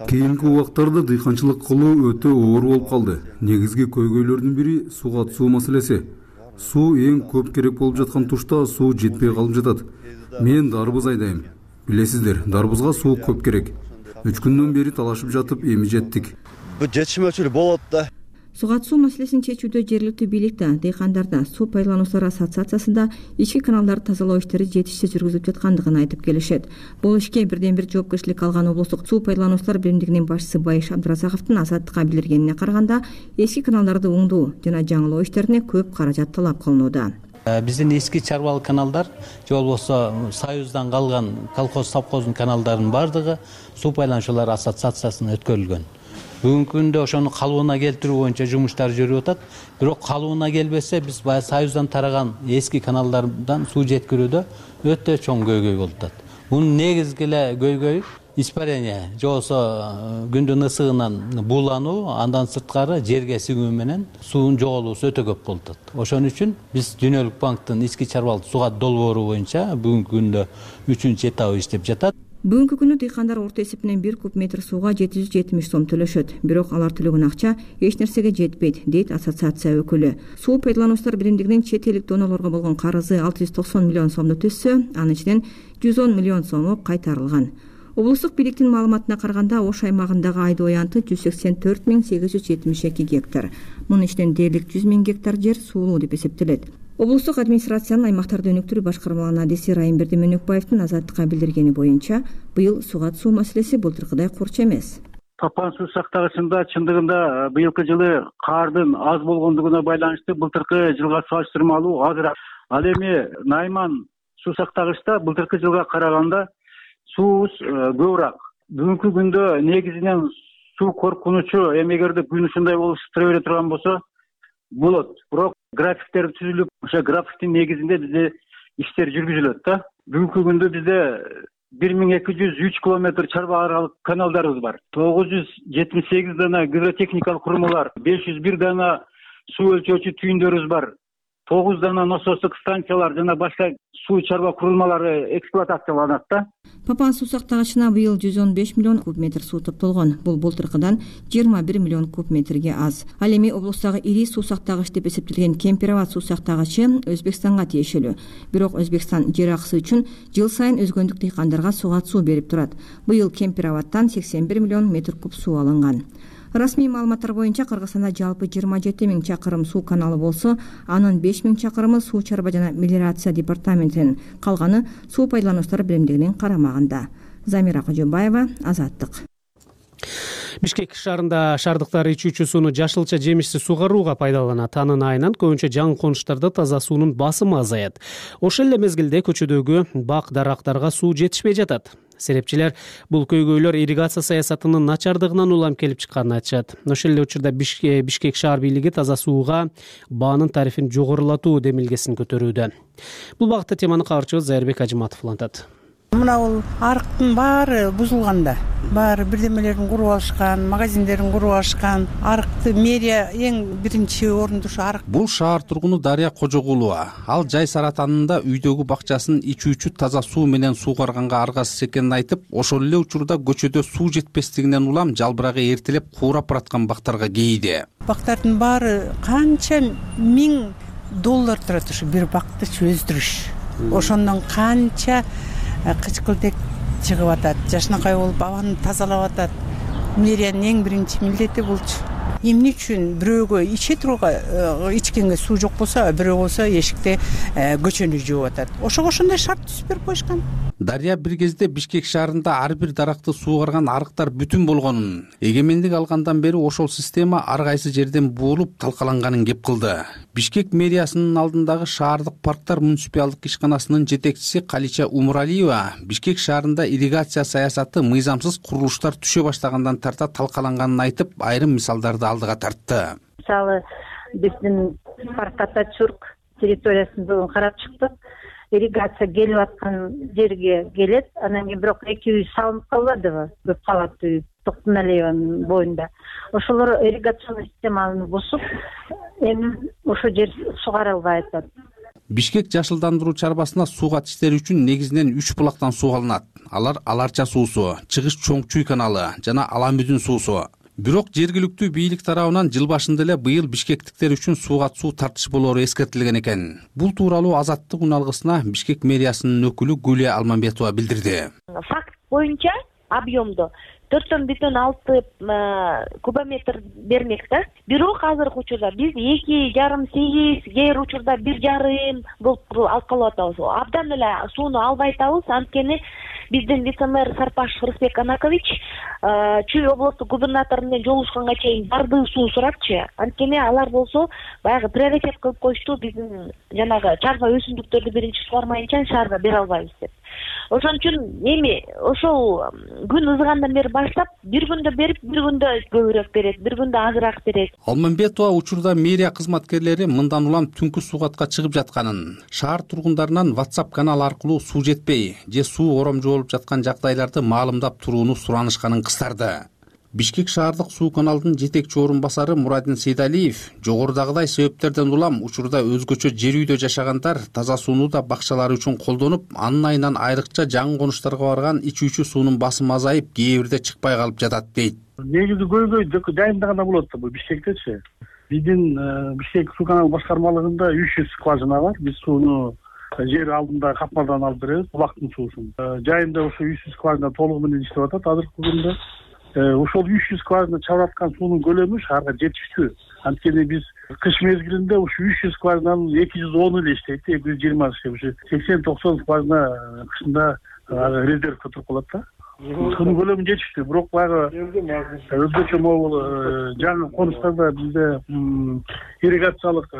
Кийинки убактарда дыйканчылык кылуу өтө оор болуп калды. Негизги көйгөйлөрдүн бири сугат суу маселеси. Суу эң көп керек болуп жаткан тушта суу жетпей калып жатат. Мен дарбыз айдайм. Билесиздер, дарбызга суу көп керек. үч күндөн бери талашып жатып, эми жеттик. Бу жетишмөчүлүк болот да. Сугат суу маселесин чечүүдө жергиликтүү бийлик да, дыйкандар да, суу пайдалануучулар ассоциациясы да ички каналдарды тазалоо иштери жетишсиз жүргүзүлүп жаткандыгын айтып келишет. Бул ишке бирден бир жоопкерчилик алган облустук суу пайдалануучулар биримдигинин башчысы Байыш Абдыразаковдун Азаттыкка билдиргенине караганда, эски каналдарды оңдоо жана жаңылоо иштерине көп каражат талап кылынууда. Биздин эски чарбалык каналдар же болбосо Союздан калган колхоз совхоздун каналдарынын баардыгы суу пайдалануучулар ассоциациясына өткөрүлгөн. Бүгүнкү күндө ошону калыбына келтирүү боюнча жумуштар жүрүп атат. Бирок калыбына келбесе, биз баягы Союздан тараган эски каналдардан суу жеткирүүдө өтө чоң көйгөй болуп атат. Мунун негизги эле көйгөйү испарение, же болбосо күндүн ысыгынан буулануу, андан сырткары жерге сиңүү менен суунун жоголуусу өтө көп болуп атат. Ошон үчүн биз Дүйнөлүк банктын ички чарбалык сугат долбоору боюнча бүгүнкү күндө үчүнчү этабы иштеп жатат. Бүгүнкү күнү дыйкандар орто эсепинен бир куб метр сууга жети жүз жетимиш сом төлөшөт. Бирок алар төлөгөн акча эч нерсеге жетпейт, дейт ассоциация өкүлү. Суу пайдалануучулар биримдигинин чет элдик донорлорго болгон карызы алты жүз токсон миллион сомду түзсө, анын ичинен жүз он миллион сому кайтарылган. Облустук бийликтин маалыматына караганда, Ош аймагындагы айдоо аянты жүз сексен төрт миң сегиз жүз жетимиш эки гектар. Мунун ичинен дээрлик жүз миң гектар жер суулуу деп эсептелет. Облустук администрациянын аймактарды өнүктүрүү башкармалыгынын адиси Райым Бердименекбаевдин Азаттыкка билдиргени боюнча, быйыл сугат суу маселеси былтыркыдай курч эмес. Тапан суу сактагычында чындыгында быйылкы жылы каардын аз болгондугуна байланыштуу былтыркы жылга салыштырмалуу азыраак. Ал эми Найман суу сактагычта былтыркы жылга караганда суубуз көбүрөөк. Бүгүнкү күндө негизинен суу коркунучу, эми эгерде күн ушундай болуп ысыктыра бере турган болсо болот. Бирок графиктер түзүлүп, ошо графиктин негизинде бизде иштер жүргүзүлөт да. Бүгүнкү күндө бизде бир миң эки жүз үч километр чарба аралык каналдарыбыз бар. тогуз жүз жетимиш сегиз дана гидротехникалык курмалар, беш жүз бир дана суу өлчөөчү түйүндөрүбүз бар. тогуз дана насостук станциялар жана башка суу чарба курулмалары эксплуатацияланат да. Папан суу сактагычына быйыл жүз он беш миллион куб метр суу топтолгон. Бул былтыркыдан жыйырма бир миллион куб метрге аз. Ал эми облустагы ири суу сактагыч деп эсептелген Кемпирабад суу сактагычы Өзбекстанга тиешелүү. Бирок Өзбекстан жер акысы үчүн жыл сайын өзгөндүк дыйкандарга сугат суу берип турат. Быйыл Кемпирабадтан сексен бир миллион метр куб суу алынган. Расмий маалыматтар боюнча Кыргызстанда жалпы жыйырма жети миң чакырым суу каналы болсо, анын беш миң чакырымы суу чарба жана мелиорация департаментинин, калганы суу пайдалануучулар биримдигинин карамагында. Замира Кожобаева, Азаттык. Бишкек шаарында шаардыктар ичүүчү сууну жашылча жемишсиз сугарууга пайдаланат. Анын айынан көбүнчө жаңы конуштарда таза суунун басымы азаят. Ошол эле мезгилде көчөдөгү бак дарактарга суу жетишпей жатат. Серепчилер бул көйгөйлөр ирригация саясатынын начардыгынан улам келип чыкканын айтышат. Ошол эле учурда Бишкек шаар бийлиги таза сууга баанын тарифин жогорулатуу демилгесин көтөрүүдө. Бул багытта теманы кабарчыбыз Зайырбек Ажыматов улантат. Мына бул арыктын баары бузулганда, баары бирдемелерин куруп алышкан, магазиндерин куруп алышкан. Арыкты мэрия эң биринчи орунду ушу арык. Бул шаар тургуну Дарья Кожогулова. Ал жай саратанында үйдөгү бакчасын ичүүчү таза суу менен суугарганга аргасыз экенин айтып, ошол эле учурда көчөдө суу жетпестигинен улам жалбырагы эртелеп куурап бараткан бактарга кейиди. Бактардын баары канча миң доллар турат ушу бир бакты өздүрүш. Ошондон канча кычкылтек чыгып атат, жашынакай болуп абаны тазалап атат. Мэриянын эң биринчи милдети булчу. Эмне үчүн бирөөгө иче турууга ичкенге суу жок болсо, бирөө болсо эшикте көчөнү жууп атат. Ошого ошондой шарт түзүп берип коюшкан. Дарья бир кезде Бишкек шаарында ар бир даракты суугарган арыктар бүтүн болгонун, эгемендик алгандан бери ошол система ар кайсы жерден буулуп талкаланганын кеп кылды. Бишкек мэриясынын алдындагы шаардык парктар муниципалдык ишканасынын жетекчиси Калича Умуралиева Бишкек шаарында ирригация саясаты мыйзамсыз курулуштар түшө баштагандан тарта талкаланганын айтып, айрым мисалдарды алдыга тартты. Мисалы, биздин парк Атачурк территориясын бүгүн карап чыктык. Ирригация келип аткан жерге келет, анан кийин бирок эки үй салынып калбадыбы? Көп кабаттуу үй Токтоналиеванын боюнда. Ошолор ирригационный системаны бузуп, эми ошол жер сугарылбай атат. Бишкек жашылдандыруу чарбасына суугат иштери үчүн негизинен үч булактан суу алынат. Алар Аларча суусу, Чыгыш Чоң Чуй каналы жана Аламүдүн суусу. Бирок жергиликтүү бийлик тарабынан жыл башында эле быйыл бишкектиктер үчүн суугат суу тартыш болоору эскертилген экен. Бул тууралуу Азаттык уналгысына Бишкек мэриясынын өкүлү Гүлия Алмамбетова билдирди. Факт боюнча объемдо төрт бүтүн алты кубометр бермек да. Бирок азыркы учурда биз эки жарым сегиз, кээ учурда бир жарым болуп алып калып атабыз. Абдан эле сууну албай атабыз, анткени биздин вице-мэр Сарпаш Рысбек Анакович Чүй облустук губернатор менен жолугушканга чейин бардыгы суу сурапчы. Анткени алар болсо баягы приоритет кылып коюшту, биздин жанагы чарба өсүмдүктөрдү биринчи сугармайынча шаарга бере албайбыз деп. Ошон үчүн эми ошол күн ызыгандан бери баштап бир күндө берип, бир күндө көбүрөөк берет, бир күндө азыраак берет. Алмамбетова учурда мэрия кызматкерлери мындан улам түнкү суугатка чыгып жатканын, шаар тургундарынан WhatsApp канал аркылуу суу жетпей же суу оромжу болуп жаткан жагдайларды маалымдап турууну суранышканын кыстарды. Бишкек шаардык суу каналдын жетекчи орун басары Мурадин Сейдалиев жогорудагыдай себептерден улам учурда өзгөчө жер үйдө жашагандар таза сууну да бакчалары үчүн колдонуп, анын айынан айрыкча жаңы конуштарга барган ичүүчү суунун басымы азайып, кээ бирде чыкпай калып жатат дейт. Негизи көйгөй жайында гана болот да бул Бишкектечи. Биздин Бишкек суу канал башкармалыгында үч жүз скважина бар. Биз сууну жер алдында капмардан алып беребиз, булактын суусун. Жайында ошо үч жүз скважина толугу менен иштеп атат азыркы күндө. Ошол үч жүз скважина чабып аткан суунун көлөмү шаарга жетиштүү. Анткени биз кыш мезгилинде ушу үч жүз скважинанын эки жүз оны эле иштейт, эки жүз жыйырма иштейт. Ушу сексен токсон скважина кышында резервге туруп калат да. Суунун көлөмү жетиштүү, бирок баягы өзгөчө могул жаңы конуштарда бизде ирригациялык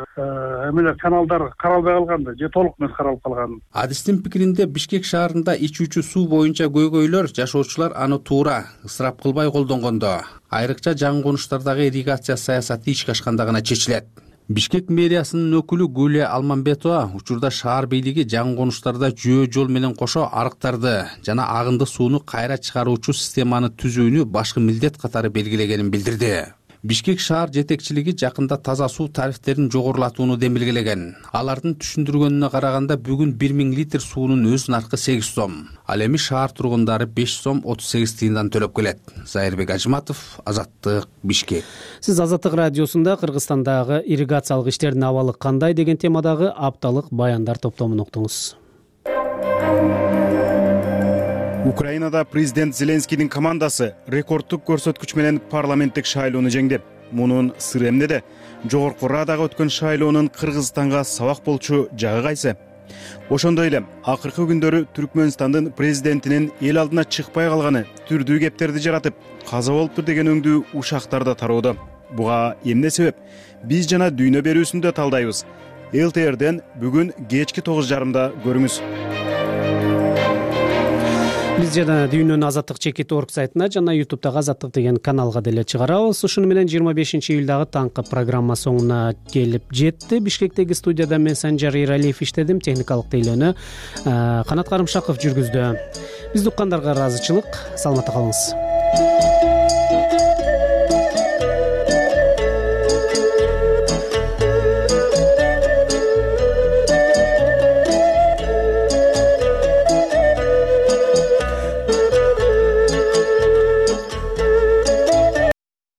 эмелер каналдар каралбай калган да, же толук эмес каралып калган. Адистин пикиринде Бишкек шаарында ичүүчү суу боюнча көйгөйлөр жашоочулар аны туура, ысырап кылбай колдонгондо, айрыкча жаңы конуштардагы ирригация саясаты ишке ашканда гана чечилет. Бишкек мэриясынын өкүлү Гүлия Алмамбетова учурда шаар бийлиги жаңы конуштарда жөө жол менен кошо арыктарды жана агынды сууну кайра чыгаруучу системаны түзүүнү башкы милдет катары белгилегенин билдирди. Бишкек шаар жетекчилиги жакында таза суу тарифтерин жогорулатууну демилгелеген. Алардын түшүндүргөнүнө караганда бүгүн бир миң литр суунун өз наркы сегиз сом. Ал эми шаар тургундары беш сом отуз сегиз тыйындан төлөп келет. Зайырбек Ажыматов, Азаттык, Бишкек. Сиз Азаттык радиосунда Кыргызстандагы ирригациялык иштердин абалы кандай деген темадагы апталык баяндар топтомун уктуңуз. Украинада президент Зеленскийдин командасы рекордтук көрсөткүч менен парламенттик шайлоону жеңди. Мунун сыры эмнеде? Жогорку Радага өткөн шайлоонун Кыргызстанга сабак болчу жагы кайсы? Ошондой эле акыркы күндөрү Түркмөнстандын президентинин эл алдына чыкпай калганы түрдүү кептерди жаратып, каза болуптур деген өңдүү ушактарда тароодо. Буга эмне себеп? Биз жана дүйнө берүүсүндө талдайбыз. эл тэ эрден бүгүн кечки тогуз жарымда көрүңүз. Биз жана дүйнөнү Азаттык чекит орг сайтына жана ютубтагы Азаттык деген каналга деле чыгарабыз. Ушуну менен жыйырма бешинчи июлдагы таңкы программа соңуна келип жетти. Бишкектеги студияда мен Санжар Иралиев иштедим, техникалык тейлөөнү Канат Карымшаков жүргүздү. Бизди уккандарга ыраазычылык, саламатта калыңыз.